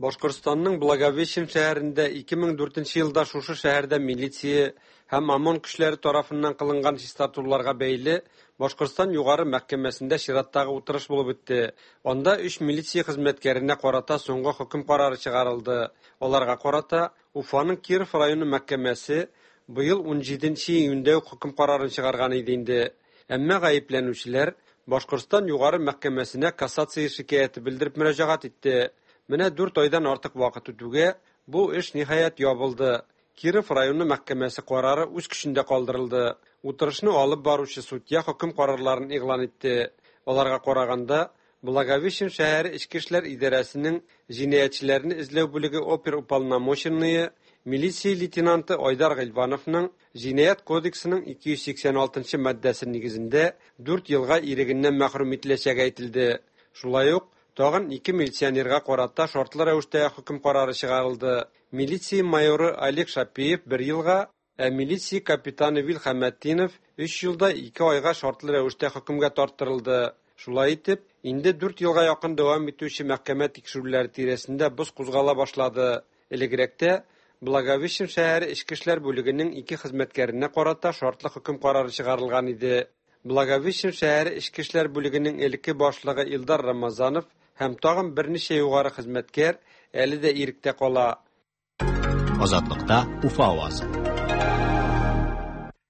Speaker 4: Башкортстанның Благовещен шәһәрендә ике мең дүртенче елда шушы шәһәрдә милиция һәм ОМОН көчләре тарафыннан кылынган чистартуларга бәйле Башкортстан югары мәхкәмәсендә чираттагы утырыш булып үтте. Анда өч милиция хезмәткәренә карата соңгы хөкем карары чыгарылды. Аларга карата Уфаның Киров районы мәхкәмәсе быел ун җиденче июньдә үк хөкем карарын чыгарган иде инде. Әмма гаепләнүчеләр Башкортстан югары мәхкәмәсенә кассация шикаяте белдереп мөрәҗәгать итте. Менә дүрт айдан артык вакыт үтүгә бу эш ниһаять ябылды. Киров районы мәхкәмәсе карары үз көчендә калдырылды. Утырышны алып баручы судья хөкем карарларын игълан итте. Аларга караганда, Благовещен шәһәре Эчке эшләр идарәсенең җинаятьчеләрне эзләү бүлеге оперуполномоченные милиция лейтенанты Айдар Гыйльвановның җинаять кодексының ике йөз сиксән алтынчы маддәсе нигезендә дүрт елга ирегеннән мәхрүм ителәчәге әйтелде. Шулай ук тагын ике милиционерга карата шартлы рәвештә хөкем карары чыгарылды. Милиция майоры Олег Шапиев бер елга, ә милиция капитаны Вил Хәмәтдинов өч елда ике айга шартлы рәвештә хөкемгә тарттырылды. Шулай итеп, инде дүрт елга якын дәвам итүче мәхкәмә тикшерүләре тирәсендә боз кузгала башлады. Элегрәктә Благовещен шәһәре Эчке эшләр бүлегенең ике хезмәткәренә карата шартлы хөкем карары чыгарылган иде. Благовещен шәһәре Эчке эшләр бүлегенең элекке башлыгы Илдар Рамазанов һәм тагын берничә югары хезмәткәр әле дә иректә кала.
Speaker 2: Азатлыкта Уфа авазы.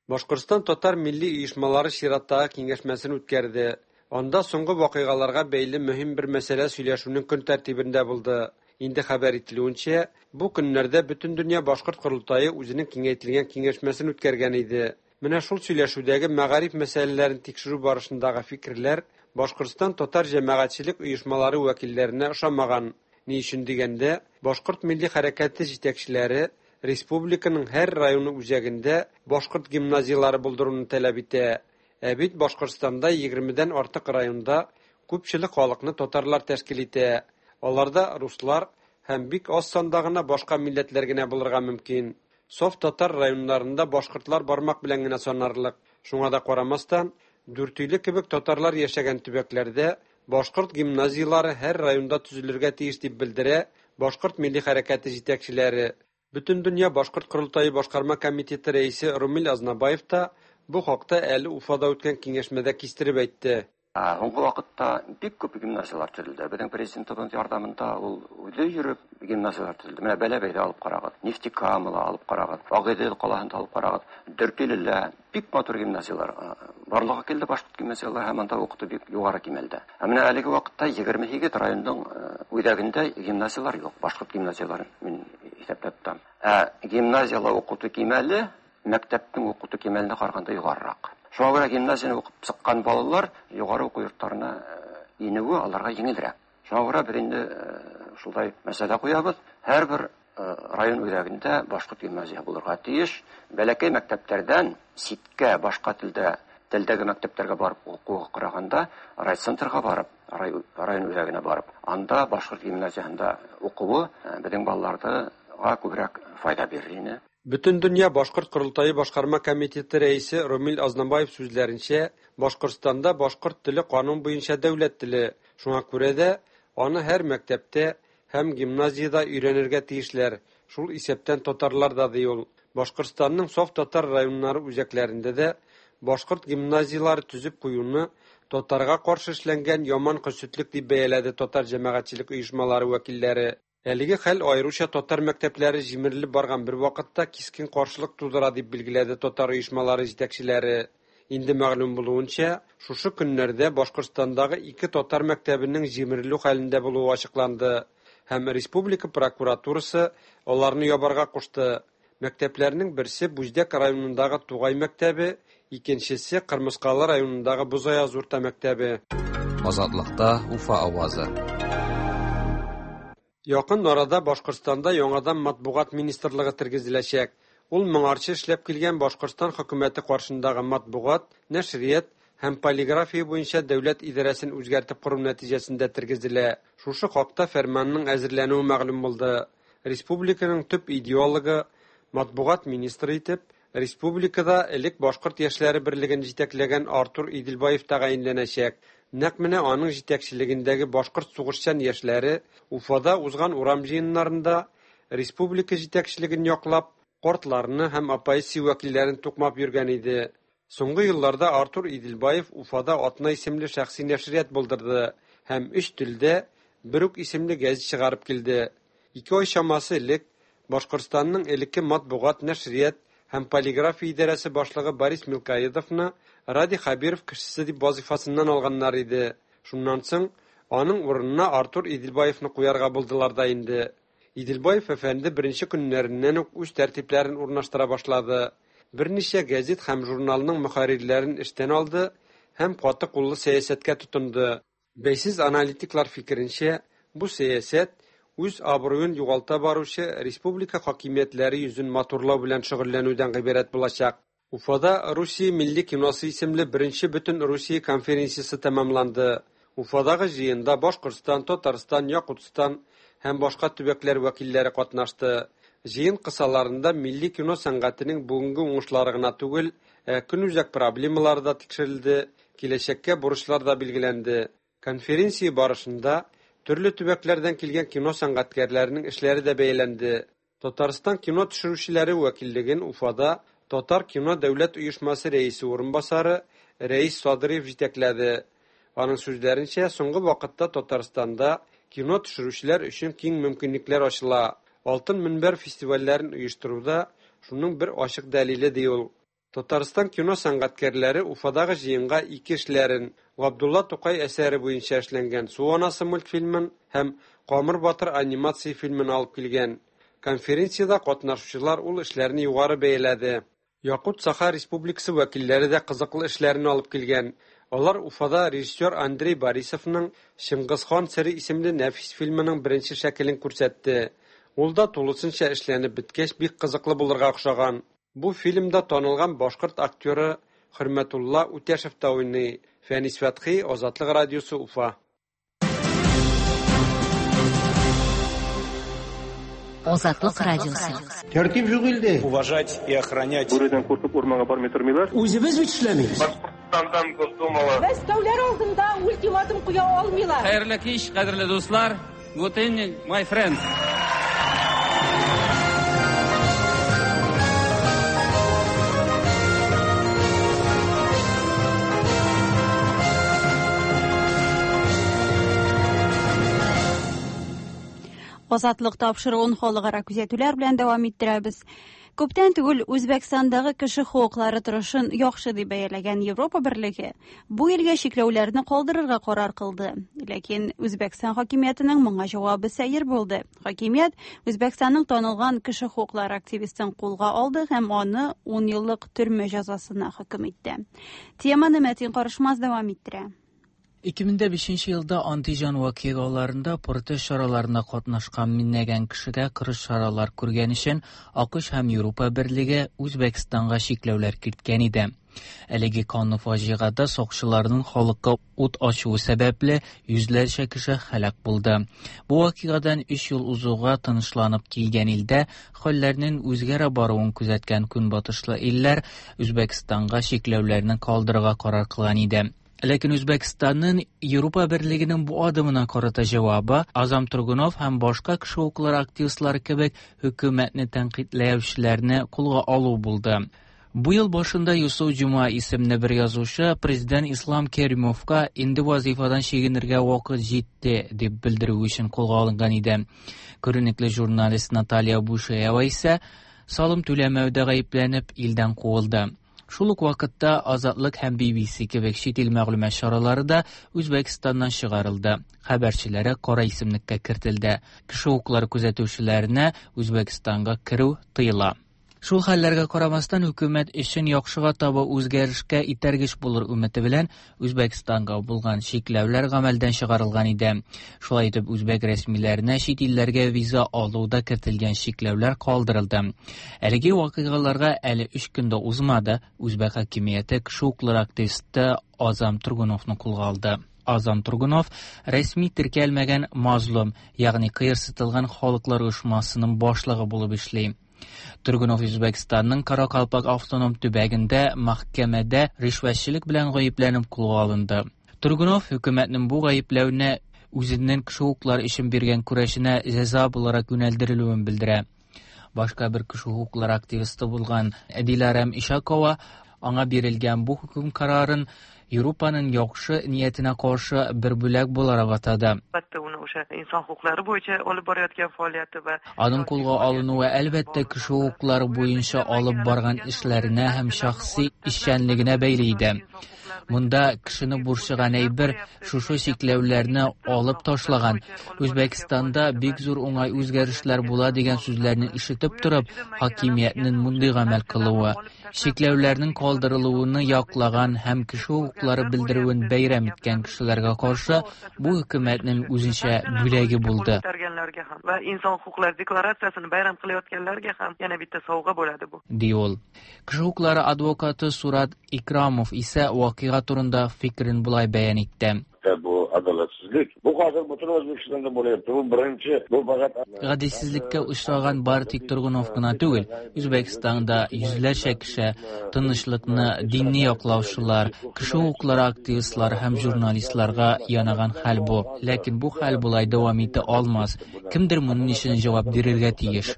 Speaker 4: Башкортстан татар милли оешмалары чираттагы киңәшмәсен үткәрде. Анда соңгы вакыйгаларга бәйле мөһим бер мәсьәлә сөйләшүнең көн тәртибендә булды. Инде хәбәр ителүенчә, бу көннәрдә Бөтендөнья башкорт корылтае үзенең киңәйтелгән киңәшмәсен үткәргән иде. Менә шул сөйләшүдәге мәгариф мәсьәләләрен тикшерү барышындагы фикерләр Башкортстан татар җәмәгатьчелек оешмалары вәкилләренә ошамаган. Ни өчен дигәндә, башкорт милли хәрәкәте җитәкчеләре республиканың һәр районы үзәгендә башкорт гимназияләре булдыруны таләп итә. Ә бит Башкортстанда егермедән артык районда күпчелек халыкны татарлар тәшкил итә. Аларда руслар һәм бик аз санда гына башка милләтләр генә булырга мөмкин. Соф татар районнарында башкортлар бармак белән генә санарлык. Шуңа да карамастан, Дүртөйле кебек татарлар яшәгән төбәкләрдә башкорт гимназияләре һәр районда төзелергә тиеш дип белдерә башкорт милли хәрәкәте җитәкчеләре. Бөтендөнья башкорт корылтае башкарма комитеты рәисе Румил Азнабаев та бу хакта әле Уфада үткән киңәшмәдә кистереп әйтте.
Speaker 5: Һуңгы вакытта бик күп гимназиялар төзелде. Безнең президентыбыз ярдәмендә ул үзе йөреп гимназиялар төзелде. Менә Бәләбәйдә алып карагыз, Нефтекамада алып карагыз, Агыйдел калаһында алып карагыз, Дүртөйледә бик матур гимназиялар барлыкка килде, башкорт гимназиялары һәм анда укыту бик югары кимәлдә. Ә менә әлеге вакытта егерме һигез районның үзәгендә гимназиялар юк, башкорт гимназияларын мин исәпләп тотам. Ә гимназиялар укыту кимәле мәктәпнең укыту кимәленә караганда югарырак. Шуңа күрә гимназияне укып чыккан балалар югары уку йортларына инүе аларга җиңелрәк. Шуңа күрә без инде шулай мәсьәлә куябыз. Һәрбер район үзәгендә башкорт гимназия булырга тиеш. Бәләкәй мәктәпләрдән читкә башка телдә телдәге мәктәпләргә барып укуга караганда райцентрга барып, район үзәгенә барып, анда башкорт гимназиясендә укуы безнең балаларга күбрәк файда бирер иде.
Speaker 4: Бөтендөнья Башкорт Корылтайы башкарма комитеты рәисе Ромил Азнабаев сүзләренчә, Башкортстанда башкорт теле канун буенча дәүләт теле. Шуңа күрә дә аны һәр мәктәптә һәм гимназиядә өйрәнергә тиешләр. Шул исәптән татарлар да ди ул. Башкортстанның саф татар районнары үзәкләрендә дә башкорт гимназиялары төзеп куюны татарга каршы эшләнгән яман көсетлек дип бәяләде татар җәмәгатьчелек оешмалары вәкилләре. Әлеге хәл аеруча татар мәктәпләре җимерелеп барган бер вакытта кискен каршылык тудыра дип билгеләде татар оешмалары җитәкчеләре. Инде мәгълүм булуынча, шушы көннәрдә Башкортстандагы ике татар мәктәбенең җимерелү хәлендә булуы ачыкланды һәм республика прокуратурасы аларны ябарга кушты. Мәктәпләрнең берсе Бүздәк районындагы Тугай мәктәбе, икенчесе Кырмыскалы районындагы Бозаяз урта мәктәбе.
Speaker 9: Азатлыкта Уфа авазы.
Speaker 4: Якын арада Башкортстанда яңадан матбугат министрлыгы тергезеләчәк. Ул моңарчы эшләп килгән Башкортстан хөкүмәте каршындагы матбугат, нәшрият һәм полиграфия буенча дәүләт идарәсен үзгәртеп кору нәтиҗәсендә тергезелә. Шушы хакта фәрманның әзерләнүе мәгълүм булды. Республиканың төп идеологы, матбугат министры итеп, республикада элек Башкорт яшьләре берлеген җитәкләгән Артур Иделбаев тәгаенләнәчәк. Нәкъ менә аның җитәкчелегендәге башкорт сугышчан яшьләре Уфада узган урам җыеннарында республика җитәкчелеген яклап, картларны һәм оппозиция вәкилләрен тукмап йөргән иде. Соңгы елларда Артур Иделбаев Уфада Атна исемле шәхси нәшрият булдырды һәм өч телдә бер үк исемле гәзит чыгарып килде. Ике ай чамасы элек Башкортстанның элекке матбугат, нәшрият һәм полиграфия идарәсе башлыгы Борис Милкаедовны Радий Хәбиров кешесе дип вазифасыннан алганнар иде. Шуннан соң аның урынына Артур Иделбаевны куярга булдылар да инде. Иделбаев әфәнде беренче көннәреннән үк үз тәртипләрен урнаштыра башлады. Берничә гәзит һәм журналның мөхәррирләрен эштән алды һәм каты куллы сәясәткә тотынды. Бәйсез аналитиклар фикеренчә, бу сәясәт үз абруен югалта баручы республика хакимиятләре йөзен матурлау белән шөгыльләнүдән гыйбарәт булачак. Уфада Русия милли киносы исемле беренче бөтен Русия конференциясе тәмамланды. Уфадагы җыенда Башкортстан, Татарстан, Якутстан һәм башка төбәкләр вәкилләре катнашты. Җыен кысаларында милли кино сәнгатенең бүгенге уңышлары гына түгел, ә көнүзәк проблемалары да тикшерелде, киләчәккә бурычлар да билгеләнде. Конференция барышында төрле төбәкләрдән килгән кино сәнгатькәрләренең эшләре дә бәяләнде. Татарстан кино төшерүчеләре вәкиллеген Уфада Татар кино дәүләт оешмасы рәисе урынбасары Рәис Садриев җитәкләде. Аның сүзләренчә, соңгы вакытта Татарстанда кино төшерүчеләр өчен киң мөмкинлекләр ачыла. Алтын мөнбәр фестивальләрен оештыруда шуның бер ачык дәлиле ди ул. Татарстан кино сәнгатькәрләре Уфадагы җыенга ике эшләрен Габдулла Тукай әсәре буенча эшләнгән Су анасы мультфильмын һәм Камыр батыр анимация фильмын алып килгән. Конференциядә катнашучылар ул эшләрне югары бәяләде. Якут Саха Республикасы вәкилләре дә кызыклы эшләрен алып килгән. Алар Уфада режиссер Андрей Борисовның Чыңгыз хан сере исемле нәфис фильмының беренче шәкелен күрсәтте. Ул да тулысынча эшләнеп беткәч бик кызыклы булырга охшаган. Бу фильмда танылган башкорт актеры Хөрмәтулла Үтәшев та уйный. Фәнис Фәтхи, Азатлык радиосы, Уфа.
Speaker 8: Азатлык радиосы.
Speaker 6: Тәртип юк илдә.
Speaker 7: Уважать и охранять.
Speaker 24: Бүредән куркып урманга бармый тормыйлар.
Speaker 6: Үзебез бит эшләмибез.
Speaker 24: Башкортстандан Госдумала.
Speaker 13: Мәскәүләр алдында ультиматум куя алмыйлар.
Speaker 25: Хәерле кич, кадерле дуслар. Good evening, my friends.
Speaker 1: Азатлык тапшыруын халыкара күзәтүләр белән дәвам иттерәбез. Күптән түгел Үзбәкстандагы кеше хокуклары торышын яхшы дип бәяләгән Европа Берлеге бу илгә чикләүләрне калдырырга карар кылды. Ләкин Үзбәкстан хакимиятенең моңа җавабы сәер булды. Хакимият Үзбәкстанның танылган кеше хокуклары активистын кулга алды һәм аны ун еллык төрмә җәзасына хөкем итте. Теманы Мәтин Карышмаз дәвам иттерә.
Speaker 7: ике мең бишенче елда Антиҗан вакыйгаларында протест чараларына катнашкан меңләгән кешегә кырыс чаралар күргән өчен АКШ һәм Европа Берлеге Үзбәкстанга чикләүләр керткән иде. Әлеге канлы фаҗигада сакчыларның халыкка ут ачуы сәбәпле йөзләрчә кеше һәлак булды. Бу вакыйгадан өч ел узуга тынычланып килгән илдә хәлләрнең үзгәрә баруын күзәткән көнбатышлы илләр Үзбәкстанга чикләүләрне калдырырга карар кылган иде. Ләкин Үзбәкстанның Европа Берлегенең бу адымына карата җавабы Азам Тургунов һәм башка кеше хокуклары активистлары кебек хөкүмәтне тәнкыйтьләүчеләрне кулга алу булды. Бу ел башында Юсуф Җума исемле бер язучы президент Ислам Керимовка инде вазифадан чигенергә вакыт җитте дип белдерү өчен кулга алынган иде. Күренекле журналист Наталья Бушаева исә салым түләмәүдә гаепләнеп илдән куылды. Шул ук вакытта Азатлык һәм Би Би Си кебек чит ил мәгълүмат чаралары да Үзбәкстаннан чыгарылды. Хәбәрчеләре кара исемлеккә кертелде. Кеше хокуклары күзәтүчеләренә Үзбәкстанга керү тыела. Шул хәлләргә карамастан хөкүмәт өчен яхшыга таба үзгәрешкә итәргеч булыр өмете белән Үзбәкстанга булган чикләүләр гамәлдән чыгарылган иде. Шулай итеп үзбәк рәсмиләренә чит илләргә виза алуда кертелгән чикләүләр калдырылды. Әлеге вакыйгаларга әле өч көн дә узмады, үзбәк хакимияте кеше хокуклары активисты Азам Тургуновны кулга алды. Азам Тургунов рәсми теркәлмәгән мазлум, ягъни кыерсытылган халыклар оешмасының башлыгы булып эшли. Тургунов Үзбәкстанның Каракалпак автоном төбәгендә мәхкәмәдә ришвәтчелек белән гаепләнеп кулга алынды. Тургунов хөкүмәтнең бу гаепләвенә үзенең кеше хокуклары өчен биргән көрәшенә җәза буларак юнәлдерелүен белдерә. Башка бер кеше хокуклары активисты булган Диләрәм Ишакова аңа бирелгән бу хөкем карарын Европаның яхшы ниятенә каршы бер бүләк буларак атады.
Speaker 11: Albatta uni o'sha inson huquqlari bo'yicha olib borayotgan faoliyati va
Speaker 7: Аның кулга алынуы әлбәттә кеше хокуклары буенча алып барган эшләренә һәм шәхси эшчәнлегенә бәйле иде. Монда кешене борчыган әйбер шушы чикләүләрне алып ташлаган. Үзбәкстанда бик зур уңай үзгәрешләр була дигән сүзләрне ишетеп торып, хакимиятнең мондый гамәл кылуы, чикләүләрнең калдырылуын яклаган һәм кеше хокуклары белдерүен бәйрәм иткән кешеләргә каршы бу хөкүмәтнең үзенчә бүләге булды.
Speaker 11: Va inson huquqlari deklaratsiyasini bayram qilayotganlarga ham yana bitta sovg'a bo'ladi bu.
Speaker 7: Ди ул. Кеше хокуклары адвокаты Сурат Икрамов исә вакыйга турында фикерен болай бәян итте.
Speaker 12: Bu adolatsizlik. Bu hozir butun O'zbekistonda bo'lyapti. Bu birinchi, bu faqat
Speaker 7: гаделсезлеккә очраган бары тик Тургунов кына түгел, Үзбәкстанда йөзләрчә кеше тынычлыкны, динне яклаучылар, кеше хокуклары активистлары һәм журналистларга янаган хәл бу. Ләкин бу хәл болай дәвам итә алмас. Кемдер моның өчен җавап бирергә тиеш.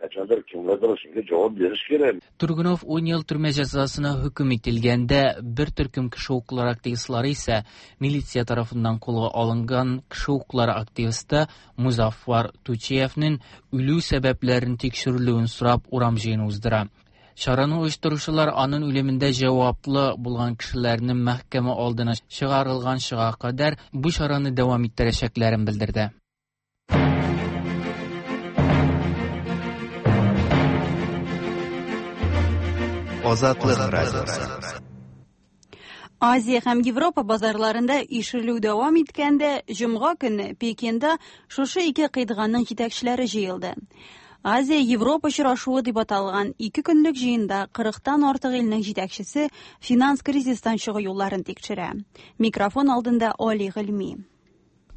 Speaker 12: Qachondir kimlardir shunga javob berish kerak.
Speaker 7: Тургунов ун ел төрмә җәзасына хөкем ителгәндә, бер төркем кеше хокуклары активистлары исә милиция тарафыннан кулга алынган кеше хокуклары активисты Музаффар Тучиевның үлү сәбәпләрен тикшерелүен сорап урам җыены уздыра. Чараны оештыручылар аның үлемендә җаваплы булган кешеләрнең мәхкәмә алдына чыгарылганчыга кадәр бу чараны дәвам иттерәчәкләрен белдерде.
Speaker 3: Азатлык радиосы.
Speaker 1: Азия һәм Европа базарларында ишелү дәвам иткәндә, җомга көне Пекинда шушы ике кыйтганың җитәкчеләре җыелды. Азия-Европа очрашуы дип аталган ике көнлек җыенда кырыктан артык илнең җитәкчесе финанс кризистан чыгу юлларын тикшерә. Микрофон алдында Али Гыйльми.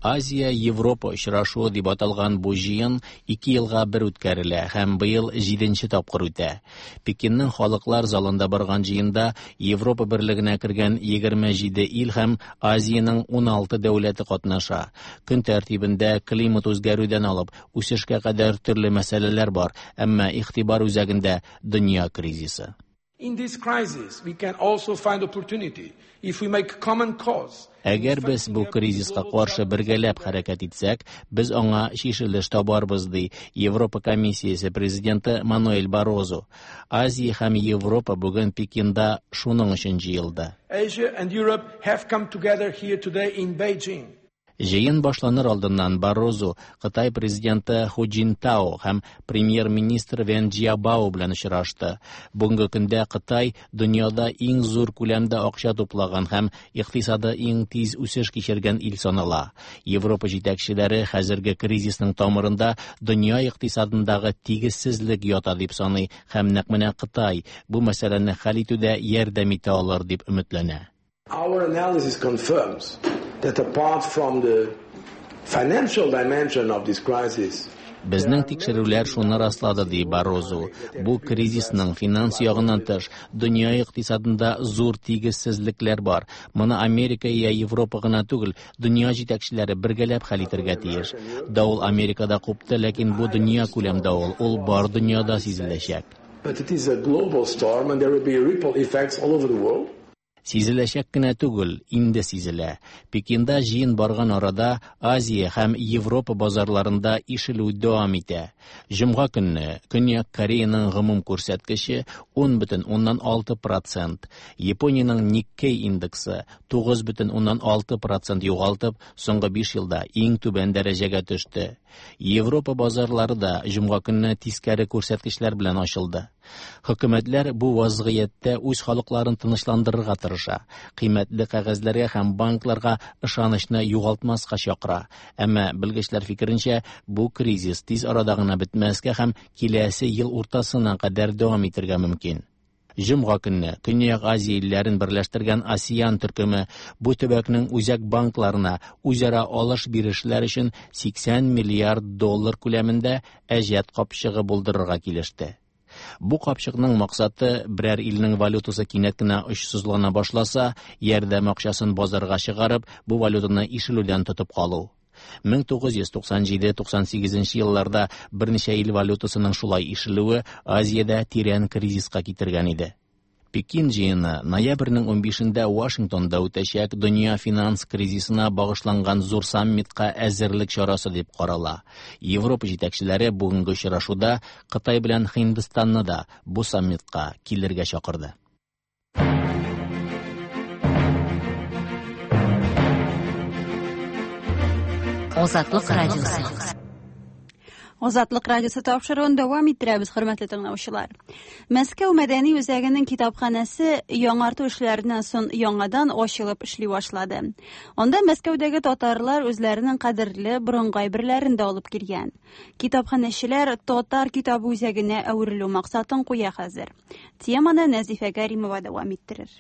Speaker 2: Азия-Европа очрашуы дип аталган бу җыен ике елга бер үткәрелә һәм быел җиденче тапкыр үтә. Пекинның халыклар залында барган җыенда Европа берлегенә кергән егерме җиде ил һәм Азиянең уналты дәүләте катнаша. Көн тәртибендә климат үзгәрүдән алып үсешкә кадәр төрле мәсьәләләр бар, әмма игътибар үзәгендә дөнья кризисы.
Speaker 10: In this crisis, we can also find opportunity if we make common cause.
Speaker 2: Әгәр без бу кризиска каршы бергәләп хәрәкәт итсәк, без аңа чишелеш табарбыз, ди Европа комиссиясе президенты Мануэль Баррозу. Азия һәм Европа бүген Пекинда шуның өчен җыелды.
Speaker 10: Asia and Europe have come together here today in Beijing.
Speaker 2: Җыен башланыр алдыннан Баррозу Кытай президенты Ху Цзиньтао һәм премьер-министр Вен Цзябао белән очрашты. Бүгенге көндә Кытай дөньяда иң зур күләмдә акча туплаган һәм икътисады иң тиз үсеш кичергән ил санала. Европа җитәкчеләре хәзерге кризисның тамырында дөнья икътисадындагы тигезсезлек ята дип саный һәм нәкъ менә Кытай бу мәсьәләне хәл итүдә ярдәм итә алыр дип өметләнә.
Speaker 10: Our analysis confirms that apart from the financial dimension of this crisis,
Speaker 2: Безнең тикшерүләр шуны раслады, ди Баррозу. Бу кризисның финанс ягыннан тыш дөнья икътисадында зур тигезсезлекләр бар. Моны Америка я Европа гына түгел, дөнья җитәкчеләре бергәләп хәл итәргә тиеш. Давыл Америкада купты, ләкин бу дөнья күләм давыл, ул бар дөньяда сизеләчәк.
Speaker 10: But it is a global storm and there will be ripple effects all over the world.
Speaker 2: Сизеләчәк кенә түгел, инде сизелә. Пекинда җыен барган арада Азия һәм Европа базарларында ишелү дәвам итә. Җомга көнне Көньяк Кореяның гомум күрсәткече ун бөтен уннан алты процент, Япониянең Никкей индексы тугыз бөтен уннан алты процент югалтып, соңгы биш елда иң түбән дәрәҗәгә төште. Европа базарлары да җомга көнне тискәре күрсәткечләр белән ачылды. Хөкүмәтләр бу вазгыятьтә үз халыкларын тынычландырырга тырыша, кыйммәтле кәгазьләргә һәм банкларга ышанычны югалтмаска чакыра. Әмма белгечләр фикеренчә, бу кризис тиз арада гына бетмәскә һәм киләсе ел уртасына кадәр дәвам итәргә мөмкин. Җомга көнне Көньяк Азия илләрен берләштергән АСЕАН төркеме бу төбәкнең үзәк банкларына үзара алыш-бирешләр өчен сиксән миллиард доллар күләмендә әҗәт капчыгы булдырырга килеште. Бу капчыкның максаты берәр илнең валютасы кинәт кенә очсызлана башласа, ярдәм акчасын базарга чыгарып, бу валютаны ишелүдән тотып калу. мең тугыз йөз туксан җиде туксан сигезенче елларда берничә ил валютасының шулай ишелүе Азиядә тирән кризиска китергән иде. Пекин җыены ноябрьнең унбишендә Вашингтонда үтәчәк дөнья финанс кризисына багышланган зур саммитка әзерлек чарасы дип карала. Европа җитәкчеләре бүгенге очрашуда Кытай белән Һиндстанны да бу саммитка килергә чакырды.
Speaker 8: Азатлык радиосы.
Speaker 1: Азатлык радиосы тапшыруын дәвам иттерәбез, хөрмәтле тыңлаучылар. Мәскәү мәдәни үзәгенең китапханәсе яңарту эшләреннән соң яңадан ачылып эшли башлады. Анда Мәскәүдәге татарлар үзләренең кадерле борынгы әйберләрен дә алып килгән. Китапханәчеләр татар китабы үзәгенә әверелү максатын куя хәзер. Теманы Нәзифә Кәримова дәвам иттерер.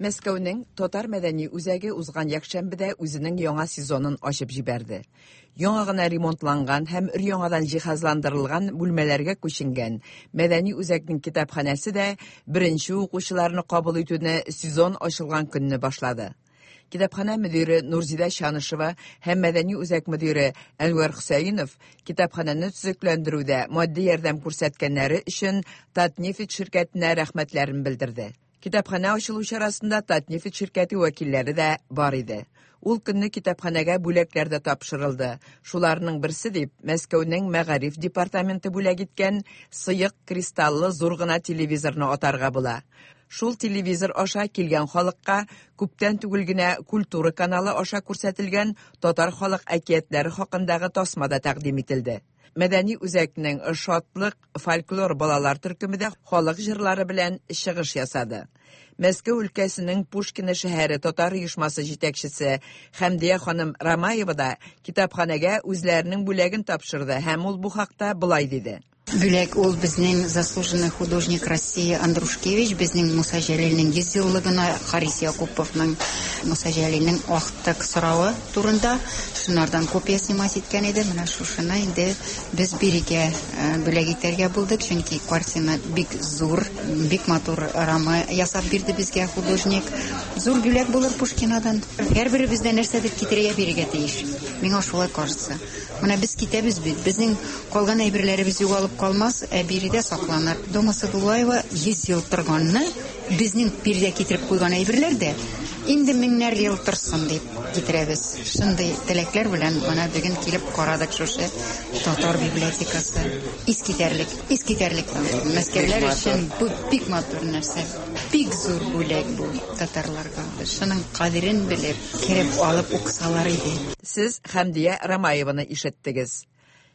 Speaker 14: Мәскәүнең татар мәдәни үзәге узган якшәмбедә үзенең яңа сезонын ачып җибәрде. Яңа гына ремонтланган һәм өр-яңадан җиһазландырылган бүлмәләргә күченгән мәдәни үзәкнең китапханәсе дә беренче укучыларны кабул итүне сезон ачылган көнне башлады. Китапханә мөдире Нурзидә Чанышева һәм мәдәни үзәк мөдире Әнвәр Хөсәенов китапханәне төзекләндерүдә матди ярдәм күрсәткәннәре өчен Татнефть ширкәтенә рәхмәтләрен белдерде. Китапханә ачылу чарасында Татнефть ширкәте вәкилләре дә бар иде. Ул көнне китапханәгә бүләкләр дә тапшырылды. Шуларның берсе дип Мәскәүнең мәгариф департаменты бүләк иткән сыек кристаллы зур гына телевизорны атарга була. Шул телевизор аша килгән халыкка күптән түгел генә Культура каналы аша күрсәтелгән татар халык әкиятләре хакындагы тасма да тәкъдим ителде. Мәдәни үзәкнең Шатлык фольклор балалар төркеме дә халык җырлары белән чыгыш ясады. Мәскәү өлкәсенең Пушкино шәһәре татар оешмасы җитәкчесе Хәмдия ханым Рамаева да китапханәгә үзләренең бүләген тапшырды һәм ул бу хакта болай диде.
Speaker 15: Бүләк ул безнең заслуженный художник России Андрушкевич, безнең Муса Җәлилнең йөз еллыгына Харис Якуповның Муса Җәлилнең актык соравы турында шунардан копия снимать иткән иде. Менә шушыны инде без бирегә бүләк итәргә булдык, чөнки картина бик зур, бик матур рама ясап бирде безгә художник. Зур бүләк булыр Пушкинадан. Һәрберебездә нәрсәдер китерергә бирергә тиеш. Миңа шулай кажется. Менә без китәбез бит, безнең калган әйберләребез югалып калмас, ә биредә сакланыр. Дома Садулаева йөз ел торганны, безнең биредә китереп куйган әйберләр дә инде меңнәр ел торсын дип китерәбез. Шундый теләкләр белән менә бүген килеп карадык шушы татар библиотекасы. Искитәрлек, искитәрлек. Мәскәүләр өчен бу бик матур нәрсә. Бик зур бүләк бу татарларга. Шуның кадерен белеп, кереп алып укысалар иде.
Speaker 14: Сез Хәмдия Рамаеваны ишеттегез.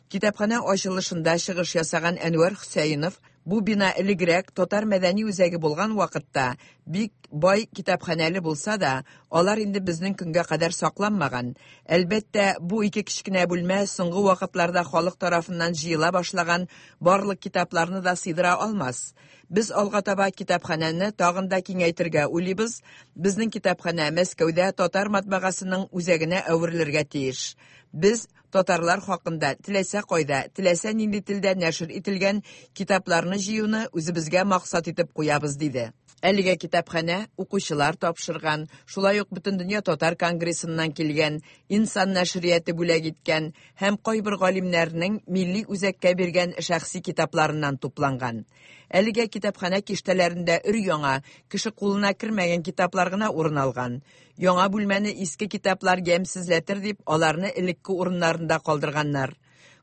Speaker 14: Китапхана ачылышында чыгыш ясаган Әнвәр Хөсәенов бу бина элегрәк татар мәдәни үзәге булган вакытта бик бай китапханәле булса да, алар инде безнең көнгә кадәр сакланмаган. Әлбәттә, бу ике кечкенә бүлмә соңгы вакытларда халык тарафыннан җыела башлаган барлык китапларны да сыйдыра алмас. Без алга таба китапханәне тагын да киңәйтергә уйлыйбыз. Безнең китапханә Мәскәүдә татар матбагасының үзәгенә әверелергә тиеш. Без татарлар хакында теләсә кайда, теләсә нинди телдә нәшер ителгән китапларны җыюны үзебезгә максат итеп куябыз, диде. Әлегә китапханә укучылар тапшырган, шулай ук Бөтендөнья татар конгрессыннан килгән, Инсан нәшрияте бүләк иткән һәм кайбер галимнәрнең милли үзәккә биргән шәхси китапларыннан тупланган. Әлегә китапханә киштәләрендә өр-яңа, кеше кулына кермәгән китаплар гына урын алган. Яңа бүлмәне иске китаплар ямьсезләтер дип, аларны элекке урыннарында калдырганнар.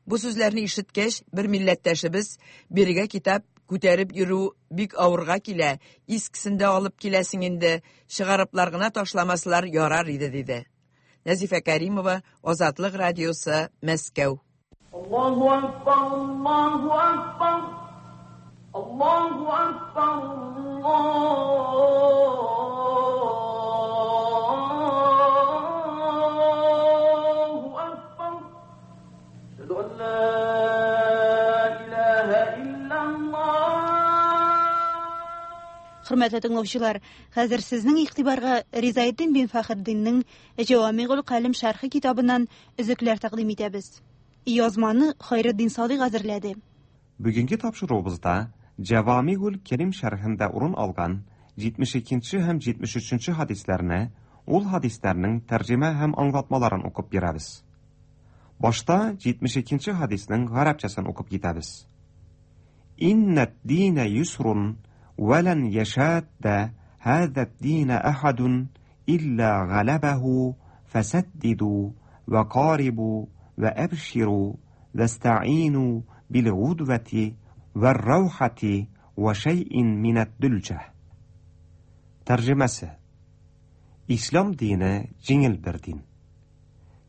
Speaker 14: Бу сүзләрне ишеткәч, бер милләттәшебез бирегә китап күтәреп йөрү бик авырга килә, искесен дә алып киләсең инде, чыгарыплар гына ташламаслар ярар иде, диде. Нәзифә Кәримова, Азатлык радиосы, Мәскәү.
Speaker 16: Аллаһу акбар, Аллаһу акбар, Аллаһу акбар, Аллаһу акбар. Әшһәду ан ла илаһа иллаллаһ.
Speaker 1: Хөрмәтле тыңлаучылар, хәзер сезнең игътибарга Ризаэддин бин Фәхретдиннең Җавамигул Калим шәрхе китабыннан өзекләр тәкъдим итәбез. Язманы Хайретдин Садыйк әзерләде.
Speaker 17: Бүгенге тапшыруыбызда Җавамигул Кәрим шәрхендә урын алган җитмеш икенче һәм җитмеш өченче хадисләрне, ул хадисләрнең тәрҗемә һәм аңлатмаларын укып бирәбез. Башта җитмеш икенче хадиснең гарәпчәсен укып китәбез. Иннәд динә юсрун ولن يشاد هذا الدين أحد إلا غلبه فسددوا وقاربوا وأبشروا واستعينوا بالغدوة والروحة وشيء من الدلجة. Тәрҗемәсе: Ислам дине җиңел бер дин.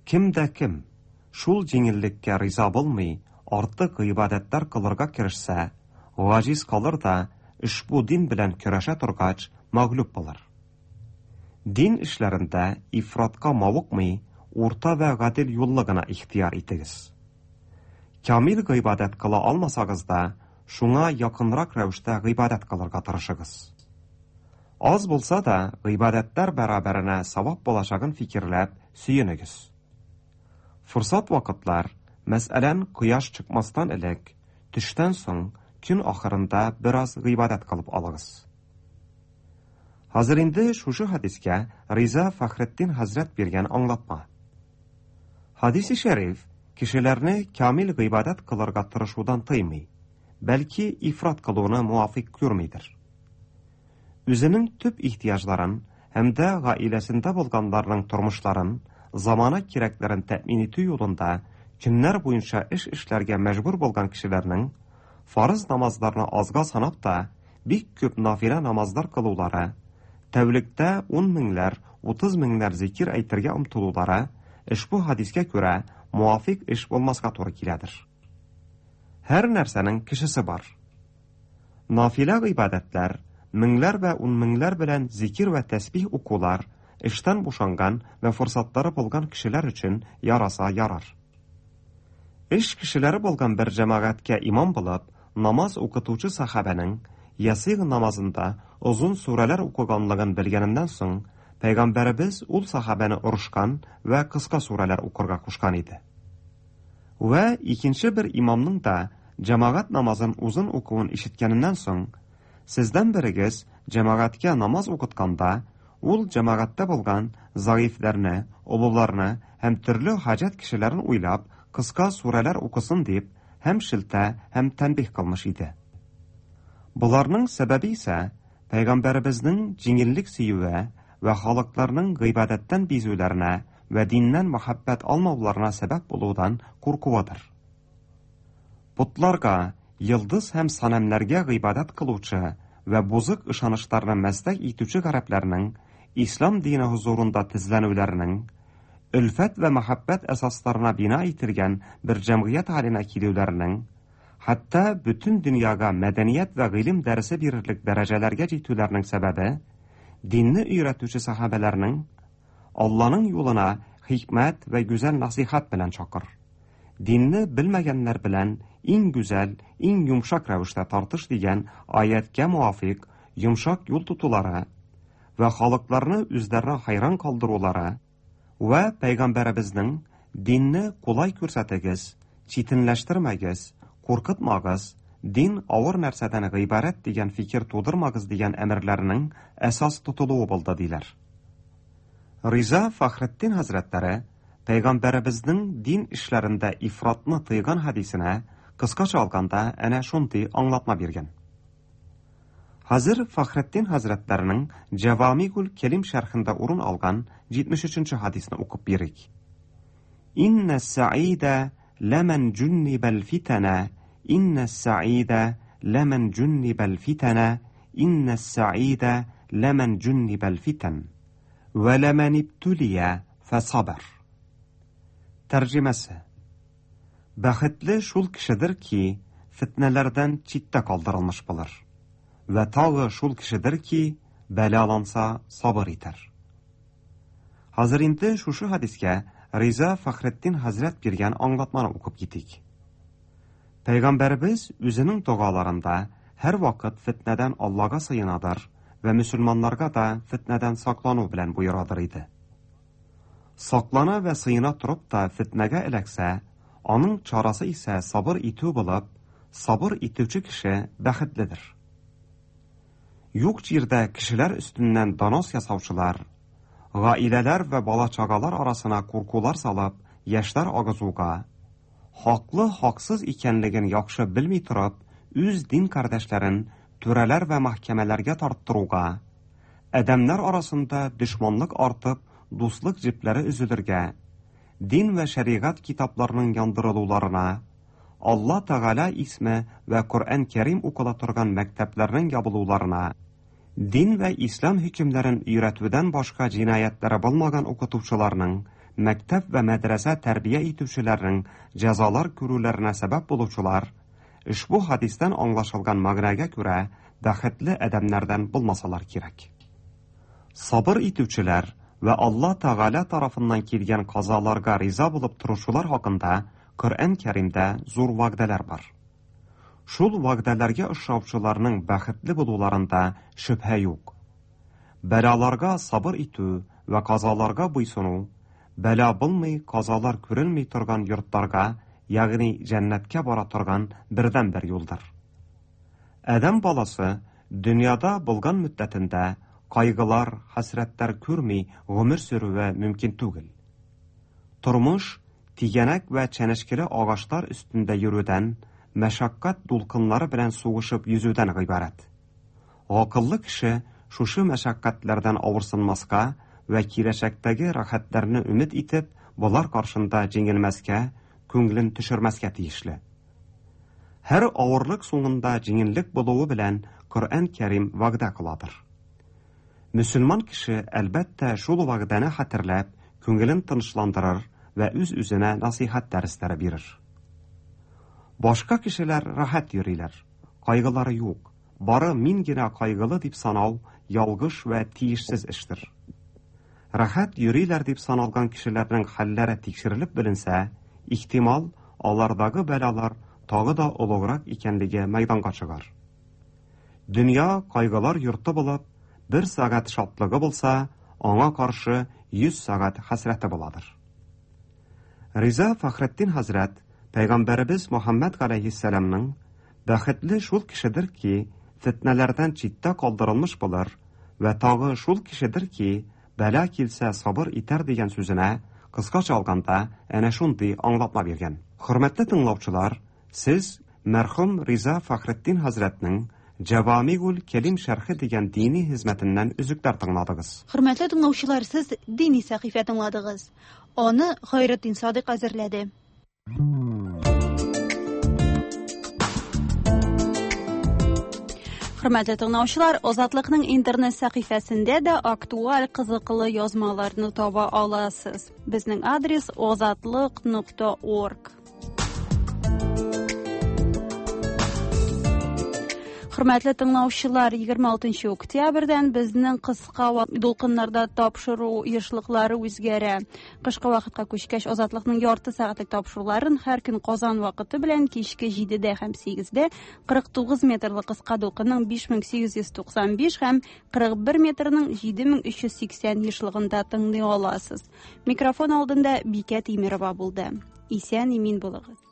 Speaker 17: Кем дә кем шул җиңеллеккә риза булмый, артык гыйбадәтләр кылырга керешсә, гаҗиз калыр да ошбу дин белән көрәшә торгач мәгълүб булыр. Дин эшләрендә ифратка мавыкмый, урта вә гадел юлны гына ихтияр итегез. Камил гыйбадәт кыла алмасагыз да, шуңа якынрак рәвештә гыйбадәт кылырга тырышыгыз. Аз булса да, гыйбадәтләр бәрабәренә савап булачагын фикерләп сөенегез. Форсат вакытлар, мәсәлән, кояш чыкмастан элек, төштән соң көн ахырында бераз гыйбадәт кылып алыгыз. Хәзер инде шушы хадискә Риза Фәхретдин хәзрәт биргән аңлатма. Хадиси шәриф кешеләрне камил гыйбадәт кылырга тырышудан тыймый, бәлки ифрат кылуны муафик күрмидер. Үзенең төп ихтыяҗларын һәм дә гаиләсендә булганнарның тормышларын, замана кирәкләрен тәэмин итү юлында көннәр буенча эш эшләргә мәҗбүр булган кешеләрнең фарыз намазларны азга санап та бик күп нафилә намазлар кылулары, тәүлектә ун меңләр, утыз меңләр зикир әйтергә омтылулары ошбу хадискә күрә муафик эш булмаска туры киләдер. Һәр нәрсәнең кешесе бар. Нафилә гыйбадәтләр, меңләр вә ун меңләр белән зикир вә тәсбих укулар эштән бушанган вә форсатлары булган кешеләр өчен яраса ярар. Эш кешеләре булган бер җәмәгатькә имам булып, намаз укытучы сахабәнең ясигъ намазында озын сүрәләр укыганлыгын белгәненнән соң, Пәйгамбәребез ул сахабәне орышкан вә кыска сүрәләр укырга кушкан иде. Вә икенче бер имамның да җәмәгать намазын озын укуын ишеткәненнән соң, сездән берегез җәмәгатькә намаз укытканда, Ул җәмәгатьтә булган заифләрне, олыларны һәм төрле хаҗәт кешеләрен уйлап, кыска сүрәләр укысын дип, һәм шелтә, һәм тәнбиһ кылмыш иде. Боларның сәбәбе исә Пәйгамбәребезнең җиңеллек сөюе вә халыкларның гыйбадәттән бизүләренә вә диннән мәхәббәт алмауларына сәбәп булудан куркуыдыр. Потларга, йолдыз һәм санәмнәргә гыйбадәт кылучы вә бозык ышанычларны мәсләк итүче гарәпләрнең ислам дине хозурында тезләнүләренең өлфәт вә мәхәббәт әсасларына бина ителгән бер җәмгыять хәленә килүләренең, хәтта бөтен дөньяга мәдәният вә гыйлем дәресе бирерлек дәрәҗәләргә җитүләренең сәбәбе динне өйрәтүче сахабәләрнең Алланың юлына хикмәт вә гүзәл насыйхат белән чакыр. Динне белмәгәннәр белән иң гүзәл, иң йомшак рәвештә тартыш дигән аяткә муафыйк йомшак юл тотулары вә халыкларны үзләренә хайран калдырулары вә Пәйгамбәребезнең динне кулай күрсәтегез, читенләштермәгез, куркытмагыз, дин авыр нәрсәдән гыйбарәт дигән фикер тудырмагыз дигән әмерләренең әсас тотылуы булды диләр. Риза Фахретдин хәзрәтләре Пәйгамбәребезнең дин эшләрендә ифратны тыйган хәдисенә кыскача алганда әнә шундый аңлатма биргән. Хәзер Фахретдин хәзрәтләренең Җавамигул Кәлим шәрхендә урын алган җитмеш өченче хәдисне укып бирик. Иннә саида ләмән җуннибәл фитана, иннә саида ләмән җуннибәл фитана, иннә саида ләмән җуннибәл фитан. Вә ләмән ибтулия фәсабар. Тәрҗемәсе. Бәхетле шул кешедер ки, фитнәләрдән читтә калдырылмыш булыр. Вә тагы шул кешедер ки, бәлаланса сабыр итәр. Хәзер инде шушы хәдискә Риза Фахретдин хәзрәт биргән аңлатманы укып китик. Пәйгамбәребез үзенең догаларында һәр вакыт фитнәдән Аллага сыенадыр вә мөселманнарга да фитнәдән саклану белән боерадыр иде. Саклана вә сыена торып та фитнәгә эләксә, аның чарасы исә сабыр итү булып, сабыр итүче кеше бәхетледер. Юк җирдә кешеләр өстеннән донос ясаучылар, гаиләләр вә бала-чагалар арасына куркулар салып, яшьләр агызуга, хаклы хаксыз икәнлеген яхшы белми торып, үз дин кардәшләрен түрәләр вә мәхкәмәләргә тарттыруга, адәмнәр арасында дошманлык артып, дуслык җепләре өзелергә, дин вә шәригать китапларының яндырылуларына, Алла Тәгалә исме вә Коръән Кәрим укыла торган мәктәпләрнең ябылуларына, дин вә ислам хөкемнәрен өйрәтүдән башка җинаятьләре булмаган укытучыларның, мәктәп вә мәдрәсә тәрбия итүчеләрнең җәзалар күрүләренә сәбәп булучылар, ошбу хәдистән аңлашылган мәгънәгә күрә бәхетле адәмнәрдән булмасалар кирәк. Сабыр итүчеләр вә Алла Тәгалә тарафыннан килгән казаларга риза булып торучылар хакында Коръән Кәримдә зур вәгъдәләр бар. Шул вәгъдәләргә ошаучыларның бәхетле булуларында шөбһә юк. Бәлаларга сабыр итү вә казаларга буйсыну, бәла булмый, казалар күренми торган йортларга, ягъни җәннәткә бара торган бердәнбер юлдыр. Адәм баласы дөньяда булган мөддәтендә кайгылар, хәсрәтләр күрми гомер сүрүе мөмкин түгел. Тормыш тигәнәк вә чәнечкеле агачлар өстендә йөрүдән, мәшәкать дулкыннары белән сугышып йөзүдән гыйбарәт. Акыллы кеше шушы мәшәкатьләрдән авырсынмаска вә киләчәктәге рәхәтләрне өмет итеп, болар каршында җиңелмәскә, күңелен төшермәскә тиешле. Һәр авырлык соңында җиңеллек булуы белән Коръән Кәрим вәгъдә кыладыр. Мөселман кеше әлбәттә шул вәгъдәне хәтерләп, күңелен тынычландырыр вә үз-үзенә насыйхат дәресләре бирер. Башка кешеләр рәхәт йөриләр, кайгылары юк. Бары мин генә кайгылы дип санау ялгыш вә тиешсез эштер. Рәхәт йөриләр дип саналган кешеләрнең хәлләре тикшерелеп беленсә, ихтимал, алардагы бәлалар тагы да олуграк икәнлеге мәйданга чыгар. Дөнья кайгылар йорты булып, бер сәгать шатлыгы булса, аңа каршы йөз сәгать хәсрәте буладыр. Риза Фахретдин хәзрәт Пәйгамбәребез Мөхәммәд галәйһиссәламның бәхетле шул кешедер ки, фитнәләрдән читтә калдырылмыш булыр Вә тагы шул кешедер ки, бәла килсә сабыр итәр дигән сүзенә кыскача алганда әнә шундый аңлатма биргән. Хөрмәтле тыңлаучылар, сез мәрхүм Риза Фәхретдин хәзрәтнең Җавамигул Кәлим шәрхе дигән дини хезмәтеннән өзекләр тыңладыгыз.
Speaker 1: Хөрмәтле тыңлаучылар, сез дини сәхифә тыңладыгыз. Аны Хайретдин Садык әзерләде. Хөрмәтле тыңлаучылар, Азатлыкның интернет сәхифәсендә дә актуаль кызыклы язмаларны таба аласыз. Безнең адрес озатлык нокта орг. Хөрмәтле тыңлаучылар, егерме алтынчы октябрьдән безнең кыска дулкыннарда тапшыру ешлыклары үзгәрә. Кышкы вакытка күчкәч, Азатлыкның ярты сәгатьлек тапшыруларын һәр көн Казан вакыты белән кичке җидедә һәм сигездә кырык тугыз метрлы кыска дулкынның биш мең сигез йөз туксан биш һәм кырык бер метрның җиде мең өч йөз сиксән ешлыгында тыңлый аласыз. Микрофон алдында Бикә Тимирова булды. Исән имин булыгыз.